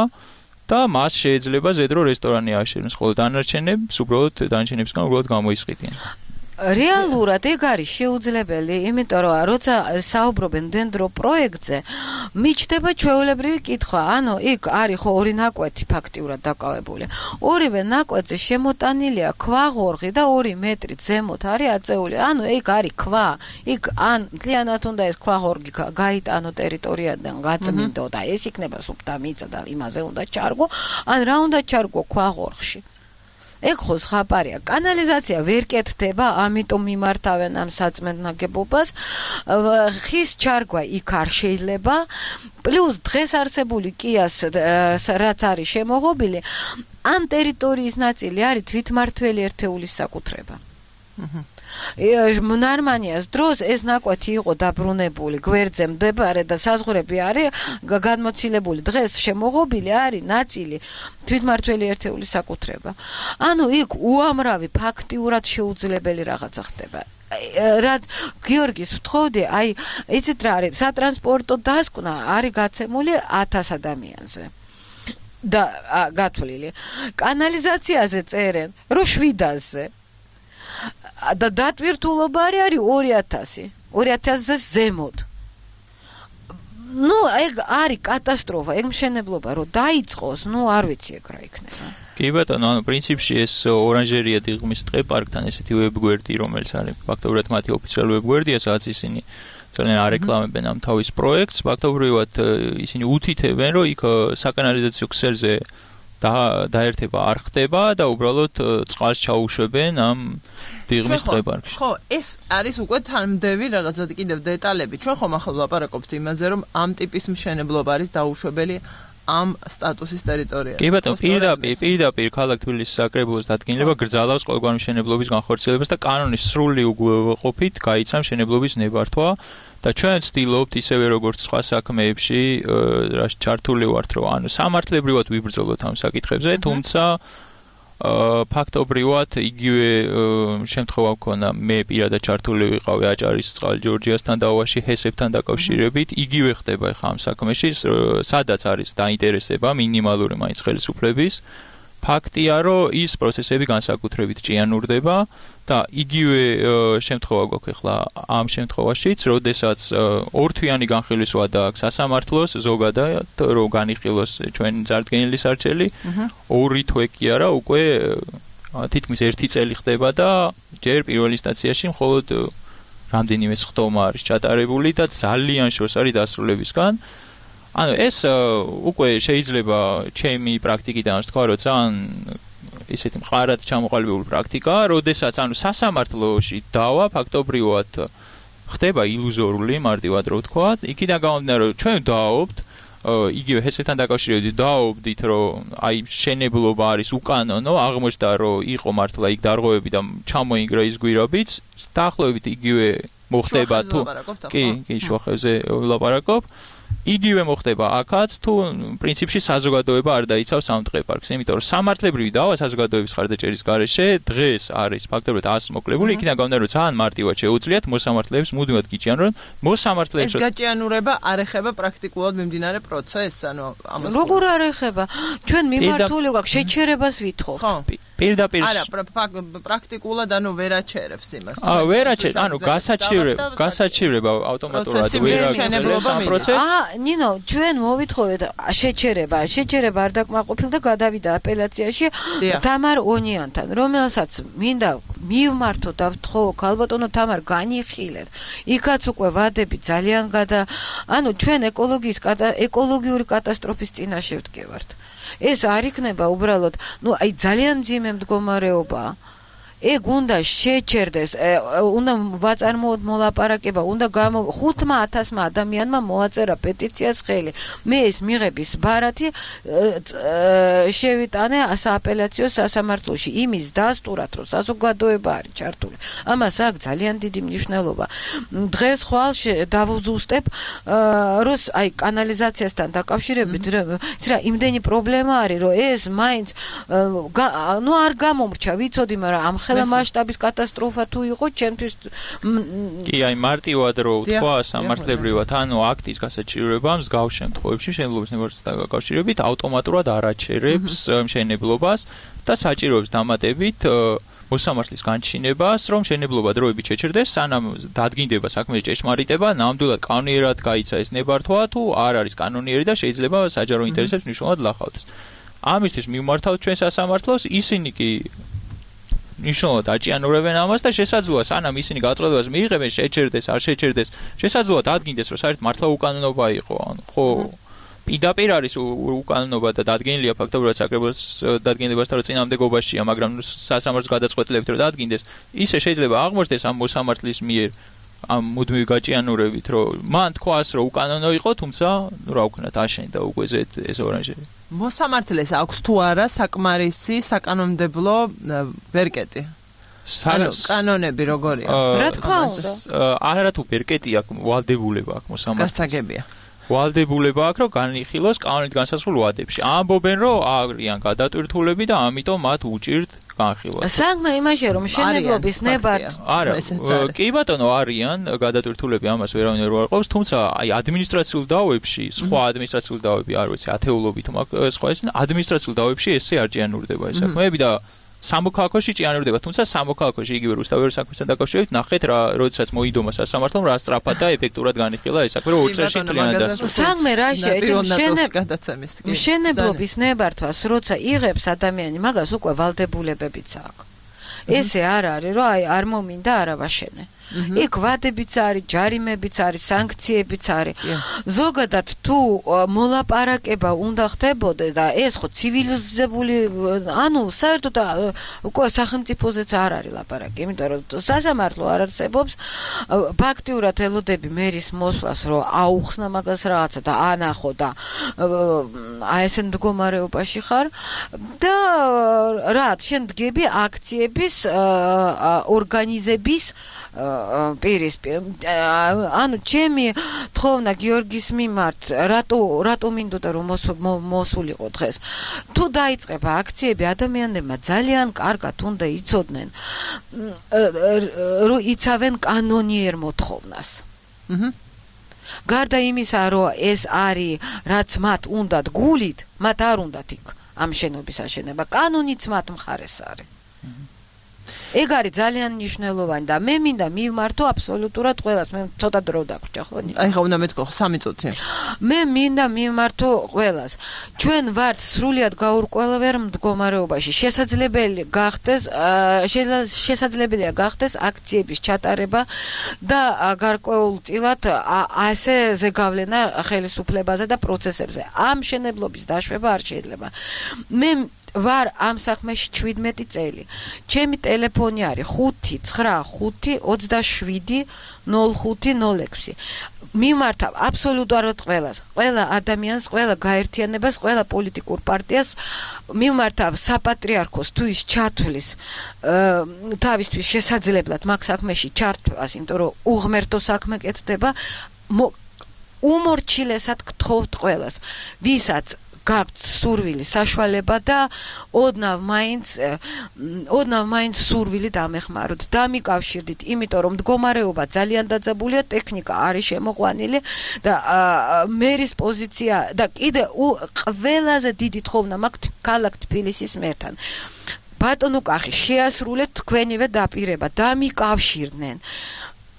და მას შეიძლება ზედრო რესტორანი ააშენოს, ხოლო დანარჩენებს უბრალოდ დანარჩენებისგან უბრალოდ გამოიყიდიან. რეალურად ეგ არის შეუძლებელი, იმიტომ რომ როცა საუბრობენ დენდრო პროექტზე, მიჩდება ჩვეულებრივი კითხვა, ანუ იქ არის ხო ორი ნაკვეთი ფაქტიურად დაკავებული. ორივე ნაკვეთზე შემოტანილია ქვაღორღი და ორი მეტრი ზემოთ არის აწეული. ანუ იქ არის ქვა. იქ ან მთლიანად უნდა ეს ქვაღორგი გაიტანო ტერიტორიიდან, გაწმინდო და ეს იქნება სუფთა მიწა და იმაზე უნდა ჩარგო, ან რა უნდა ჩარგო ქვაღორღში. ეგ ხო ხაპარია. კანალიზაცია ვერ კეთდება, ამიტომ მიმართავენ ამ საწმენდ ნაგებობას. ხის ჩარგვა იქ არ შეიძლება. პლუს დღეს არსებული კიას რაც არის შემოღობილი, ამ ტერიტორიის ნაწილი არის თვითმმართველი ერთეულის საკუთრება. ნარმანიას დროს ეს ნაკვეთი იყო დაბრუნებული გვერდზე მდებარე და საზღვრები არის გადმოცილებული. დღეს შემოღობილი არის ნაწილი თვითმმართველი ერთეულის საკუთრება. ანუ იქ უამრავი ფაქტიურად შეუძლებელი რაღაცა ხდება. რად გიორგის ვთხოვდი, აი იცით რა არის, სატრანსპორტო დასკვნა არის გაცემული ათას ადამიანზე. და გათვლილი. კანალიზაციაზე წერენ, რომ შვიდასზე. და დატვირთულობა არის ორი ათასი, ორი ათასზე ზემოთ. ნუ ეგ არის კატასტროფა, ეგ მშენებლობა რომ დაიწყოს, ნუ არ ვიცი ეგ რა იქნება. კი ბატონო, ანუ პრინციპში ეს ორანჟერია დიღმის ტყეპარკთან ესეთი ვებგვერდი, რომელიც არის ფაქტობრივად მათი ოფიციალური ვებგვერდია, სადაც ისინი ძალიან არეკლამებენ ამ თავის პროექტს, ფაქტობრივად ისინი უთითებენ, რომ იქ საკანალიზაციო ქსელზე დაერთება არ ხდება და უბრალოდ წყალს ჩაუშვებენ ამ დიღმის ტყეპარკში. ხო, ეს არის უკვე თანმდევი რაღაცა კიდევ დეტალები. ჩვენ ხომ ახლა ვლაპარაკობთ იმაზე, რომ ამ ტიპის მშენებლობა არის დაუშვებელი ამ სტატუსის ტერიტორიაზე. კი ბატონო, პირდაპირ, პირდაპირ ქალაქ თბილისის საკრებულოს დადგენილება გრძალავს ყოველგვარი მშენებლობის განხორციელებას და კანონის სრული უგულყოფით გაიცა მშენებლობის ნებართვა. და ჩვენ ვცდილობთ ისევე როგორც სხვა საქმეებში რა ჩართული ვართ, რომ ანუ სამართლებრივად ვიბრძოლოთ ამ საკითხებზე, თუმცა ფაქტობრივად იგივე შემთხვევა მქონდა, მე პირადად ჩართული ვიყავი აჭარის წყალჯორჯიასთან დაავაში ჰესებთან დაკავშირებით, იგივე ხდება ხა ამ საქმეში, სადაც არის დაინტერესება მინიმალური მაინც ხელისუფლების. ფაქტია, რომ ის პროცესები განსაკუთრებით ჭიანურდება და იგივე შემთხვევა გვაქვს ახლა ამ შემთხვევაშიც, როდესაც ორთვიანი განხილვისვა დააქვს სასამართლოს ზოგადად, რომ განიხილოს ჩვენ წარდგენილი სარჩელი, ორი თვე კი არა, უკვე თითქმის ერთი წელი ხდება და ჯერ პირველ ინსტანციაში მხოლოდ რამდენიმე სხდომა არის ჩატარებული და ძალიან შორს არის დასრულებისგან. ანუ ეს უკვე შეიძლება ჩემი პრაქტიკიდან ვთქვა, რომ ძალიან ისეთი მყარად ჩამოყალიბებული პრაქტიკაა, როდესაც ანუ სასამართლოში დავა ფაქტობრივად ხდება ილუზორული, მარტივად რო ვთქვა, იქიდან გამომდინარე, რომ ჩვენ დავაობთ, იგივე ჰესებთან დაკავშირებით დავაობდით, რომ აი შენებლობა არის უკანონო, აღმოჩნდა, რომ იყო მართლა იქ დარღვევები და ჩამოინგრა ის გვირაბიც, დაახლოებით იგივე მოხდება თუ კი, კი, შუახევზე ვლაპარაკობ. იგივე მოხდება აქაც, თუ პრინციპში საზოგადოება არ დაიცავს ამ ტყეპარკს, იმიტომ რომ სამართლებრივი დავა საზოგადოების ხარდაჭერის გარეშე დღეს არის ფაქტობრივად ას მოკლებული, იქიდან გამომდინარე, რომ ძალიან მარტივად შეუძლიათ მოსამართლეებს მუდმივად გიჭიანონ, რომ მოსამართლეებს ეს გაჭიანურება არ ეხება პრაქტიკულად მიმდინარე პროცესს, ანუ ამას როგორ არ ეხება? ჩვენ მიმართული გვაქვს შეჩერებას ვითხოვთ. ხო. პირდაპირ არა, პრაქტიკულად ანუ ვერაჩერებს იმას. აა, ვერაჩერებს, ანუ გასაჩივრება, გასაჩივრება ავტომატურად ვერ აღწევს ამ პროცესს. აა, ნინო, ჩვენ მოვითხოვეთ შეჩერება, შეჩერება არ დაკმაყოფილდა და გადავიდა აპელაციაში თამარ ონიანთან, რომელსაც მინდა მივმართო და ვთხოვ, ქალბატონო თამარ, განიხილეთ. იქაც უკვე ვადები ძალიან გადა, ანუ ჩვენ ეკოლოგიის ეკოლოგიური კატასტროფის წინაშე ვდგევართ. ეს არ იქნება უბრალოდ, ну, აი ძალიან მძიმე მდგომარეობაა. ეგ უნდა შეჩერდეს, უნდა ვაწარმოოთ მოლაპარაკება, უნდა ხუთმა ათასმა ადამიანმა მოაწერა პეტიციას ხელი. მე ეს მიღების ბარათი შევიტანე სააპელაციო სასამართლოში, იმის დასტურად, რომ საზოგადოება არის ჩართული. ამას აქვს ძალიან დიდი მნიშვნელობა. დღეს ხვალ დავუზუსტებ, რომ აი კანალიზაციასთან დაკავშირებით, რა იმდენი პრობლემა არის, რომ ეს მაინც ну არ გამომრჩა, ვიცოდი, მაგრამ ამ ხელა მასშტაბის კატასტროფა თუ იყო ჩემთვის კი აი მარტივად რო ვთქვა სამართლებრივად ანუ აქტის გასაჩივრება მსგავს შემთხვევებში მშენებლობის ნებართვასთან დაკავშირებით ავტომატურად არაჩერებს მშენებლობას და საჭიროებს დამატებით მოსამართლის განჩინებას, რომ შენებლობა დროებით შეჩერდეს, სანამ დადგინდება საქმის ჭეშმარიტება, ნამდვილად კანონიერად გაიცა ეს ნებართვა, თუ არ არის კანონიერი და შეიძლება საჯარო ინტერესებს მნიშვნელოვნად ლახავდეს. ამისთვის მივმართავთ ჩვენ სასამართლოს, ისინი კი ნიშნულად აჭიანურებენ ამას და შესაძლოა სანამ ისინი გაწყვეტილებას მიიღებენ, შეჩერდეს, არ შეჩერდეს, შესაძლოა დადგინდეს, რომ საერთოდ მართლა უკანონობა იყო, ხო პირდაპირ არის უკანონობა და დადგენილია ფაქტობრივად საკრებულოს დადგენილებასთან რომ წინამდებობაშია, მაგრამ სასამართლოს გადაწყვეტილებით რომ დადგინდეს, ისე შეიძლება აღმოჩნდეს ამ მოსამართლის მიერ ამ მუდმივი გაჭიანურებით, რომ მან თქვას, რომ უკანონო იყო, თუმცა რა ვქნათ, აშენდა უკვე ეს ორანჟერი. მოსამართლეს აქვს თუ არა საკმარისი საკანონმდებლო ვერკეტი? ანუ კანონები როგორია? რა თქმა უნდა. არა თუ ვერკეტი აქვს, ვალდებულება აქვს მოსამართლეს. გასაგებია. ვალდებულება აქვს, რომ განიხილოს კანონით განსაზღვრულ ვადებში. ამბობენ, რომ არიან გადატვირთულები და ამიტომ მათ უჭირთ განხილვა. საგმა იმაშია, რომ შენებლობის ნებართ. არა, კი ბატონო, არიან გადატვირთულები, ამას ვერავინ ვერ უარყოფს, თუმცა აი ადმინისტრაციულ დავებში, სხვა ადმინისტრაციულ დავები არ ვიცი, ათეულობით მაგ სხვა ეს ადმინისტრაციულ დავებში ესე არ ჭიანურდება ეს საქმეები და სამოქალაქოში ჭიანურდება, თუმცა სამოქალაქოში იგივე რუსთავის საქმესთან დაკავშირებით ნახეთ რა, როდესაც მოიდომა სასამართლომ რა სწრაფად და ეფექტურად განიხილა ეს საქმე, რომ ორ წელში მთლიანად დასრულდა. საგმე რაშია, ეს შენებლობის ნებართვას, როცა იღებს ადამიანი, მაგას უკვე ვალდებულებებიც აქვს. ესე არ არის, რომ აი არ მომინდა არა ვაშენე. იქ ვადებიც არის, ჯარიმებიც არის, სანქციებიც არის. ზოგადად თუ მოლაპარაკება უნდა ხდებოდეს და ეს ხო ცივილიზებული, ანუ საერთოდ უკვე სახელმწიფოზეც არ არის ლაპარაკი, იმიტომ რომ სასამართლო არ არსებობს, ფაქტიურად ელოდები მერის მოსვლას, რომ აუხსნა მაგას რაღაცა და ანახო და აი ესენ მდგომარეობაში ხარ და რა, შენ დგები აქციების ორგანიზების პირისპირ. ანუ ჩემი თხოვნა გიორგის მიმართ, რატო რატო მინდოდა რომ მოსულიყო დღეს. თუ დაიწყება აქციები, ადამიანებმა ძალიან კარგად უნდა იცოდნენ, რომ იცავენ კანონიერ მოთხოვნას. აჰა. გარდა იმისა, რომ ეს არის რაც მათ უნდათ გულით, მათ არ უნდათ იქ ამ შენობის აშენება. კანონიც მათ მხარეს არის. ეგ არის ძალიან მნიშვნელოვანი და მე მინდა მივმართო აბსოლუტურად ყველას. მე ცოტა დრო დაგვრჩა ხო? აი ხა უნდა მეთქო სამი წუთი. მე მინდა მივმართო ყველას. ჩვენ ვართ სრულიად გაურკვეველ მდგომარეობაში. შესაძლებელი გახდეს შესაძლებელია გახდეს აქციების ჩატარება და გარკვეულწილად ასე ზეგავლენა ხელისუფლებაზე და პროცესებზე. ამ შენებლობის დაშვება არ შეიძლება. მე ვარ ამ საქმეში შვიდმეტი წელი. ჩემი ტელეფონი არის ხუთი ცხრა ხუთი ოცდაშვიდი ნოლ ხუთი ნოლ ექვსი. მიმართავ აბსოლუტურად ყველას, ყველა ადამიანს, ყველა გაერთიანებას, ყველა პოლიტიკურ პარტიას მიმართავ საპატრიარქოს თუ ის ჩათვლის თავისთვის შესაძლებლად მაგ საქმეში ჩართვას, იმიტომ რომ უღმერთო საქმე კეთდება. უმორჩილესად გთხოვთ ყველას, ვისაც გაქვთ სურვილი საშუალება და ოდნავ მაინც ოდნავ მაინც სურვილი დამეხმაროთ, დამიკავშირდით, იმიტომ რომ მდგომარეობა ძალიან დაძაბულია, ტექნიკა არის შემოყვანილი და მერის პოზიცია და კიდე ყველაზე დიდი თხოვნა მაქვს ქალაქ თბილისის მერთან. ბატონო კახი, შეასრულეთ თქვენივე დაპირება, დამიკავშირდნენ.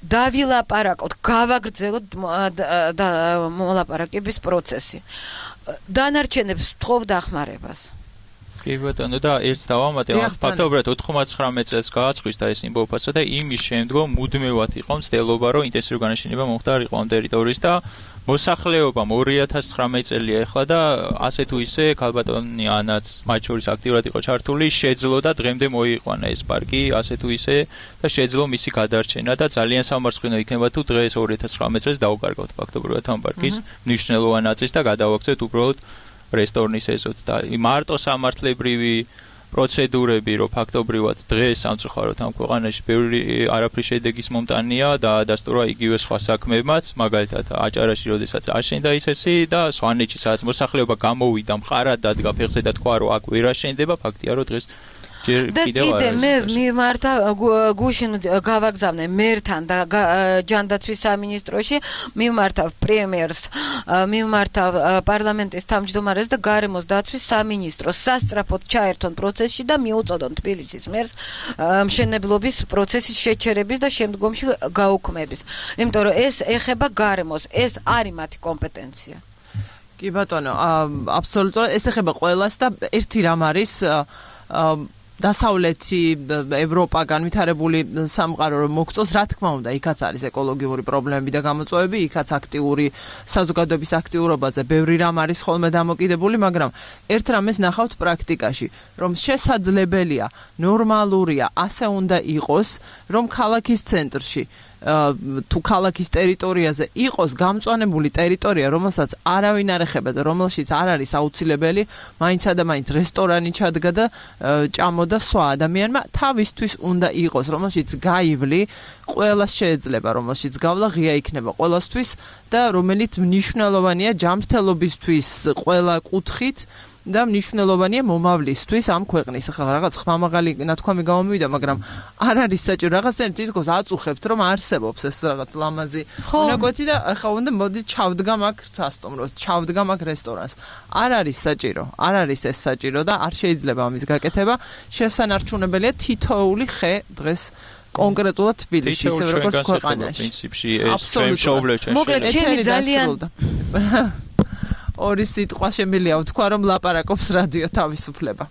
დავილაპარაკოთ, გავაგრძელოთ და მოლაპარაკების პროცესი. დანარჩენებს თხოვ დახმარებას. კი ბატონო და ერთს დავამატე, ფაქტობრივად ოთხმოცდათხმეტ წელს გააწყვის და ეს იმბოფასა და იმის შემდგომ მუდმივად იყო მცდელობა, რომ ინტენსიური განაშენება მომხდარიყო ამ ტერიტორიის და მოსახლეობამ ორი ათას ცხრამეტ წელია ახლა და ასე თუ ისე ქალბატონი ანაც მათ შორის აქტიურად იყო ჩართული, შეძლო და დღემდე მოიყვანა ეს პარკი, ასე თუ ისე და შეძლო მისი გადარჩენა და ძალიან სამარცხინო იქნება თუ დღეს ორი ათას ცხრამეტ წელს დავუკარგავთ ფაქტობრივად ამ პარკის მნიშვნელოვანი ნაწილს და გადავაქცევთ უბრალოდ რესტორნის ეზოთ და მარტო სამართლებრივი პროცედურები, რომ ფაქტობრივად დღეს სამწუხაროდ ამ ქვეყანაში ბევრი არაფრის შედეგის მომტანია და დადასტურა იგივე სხვა საქმეებმაც, მაგალითად აჭარაში როდესაც აშენდა ისესი და სვანეთში სადაც მოსახლეობა გამოვიდა, მყარად დადგა ფეხზე და თქვა, რომ აქ ვერ აშენდება, ფაქტია, რომ დღეს და კიდე მე მიმართა გუშინ გავაგზავნე მერთან და ჯანდაცვის სამინისტროში მიმართა პრემიერს მიმართა პარლამენტის თავმჯდომარეს და გარემოს დაცვის სამინისტროს სასწრაფოდ ჩაერთონ პროცესში და მიუწოდონ თბილისის მერს მშენებლობის პროცესის შეჩერების და შემდგომში გაუქმების. იმიტომ რომ ეს ეხება გარემოს, ეს არის მათი კომპეტენცია. კი ბატონო, აბსოლუტურად ეს ეხება ყველას და ერთი რამ არის დასავლეთი ევროპა განვითარებული სამყარო რომ მოგწოს, რა თქმა უნდა, იქაც არის ეკოლოგიური პრობლემები და გამოწვევები, იქაც აქტიური საზოგადოების აქტიურობაზე ბევრი რამ არის ხოლმე დამოკიდებული, მაგრამ ერთ რამეს ნახავთ პრაქტიკაში, რომ შესაძლებელია, ნორმალურია, ასე უნდა იყოს, რომ ქალაქის ცენტრში თუ ქალაქის ტერიტორიაზე იყოს გამწვანებული ტერიტორია, რომელსაც არავინ არ ეხება და რომელშიც არ არის აუცილებელი, მაინცა და მაინც რესტორანი ჩადგა და ჭამოდა სხვა ადამიანმა, თავისთვის უნდა იყოს, რომელშიც გაივლი, ყველას შეეძლება, რომელშიც გავლა ღია იქნება ყველასთვის და რომელიც მნიშვნელოვანია ჯანმრთელობისთვის ყველა კუთხით. და მნიშვნელოვანია მომავლისთვის ამ ქვეყნის. ახლა რაღაც ხმამაღალი ნათქვამი გამომივიდა, მაგრამ არ არის საჭირო რაღაცა თითქოს აწუხებთ, რომ არსებობს ეს რაღაც ლამაზი უნაკვეთი და ახლა უნდა მოდი ჩავდგა მაგ სასტუმროს, ჩავდგა მაგ რესტორანს. არ არის საჭირო, არ არის ეს საჭირო და არ შეიძლება ამის გაკეთება. შესანარჩუნებელია თითოეული ხე დღეს კონკრეტულად თბილისში, ისე როგორც ქვეყანაში. პრინციპში ეს შემშობლებში. მოკლედ ჩემი ძალიან ორი სიტყვა შემიძლია ვთქვა, რომ ლაპარაკობს რადიო თავისუფლება.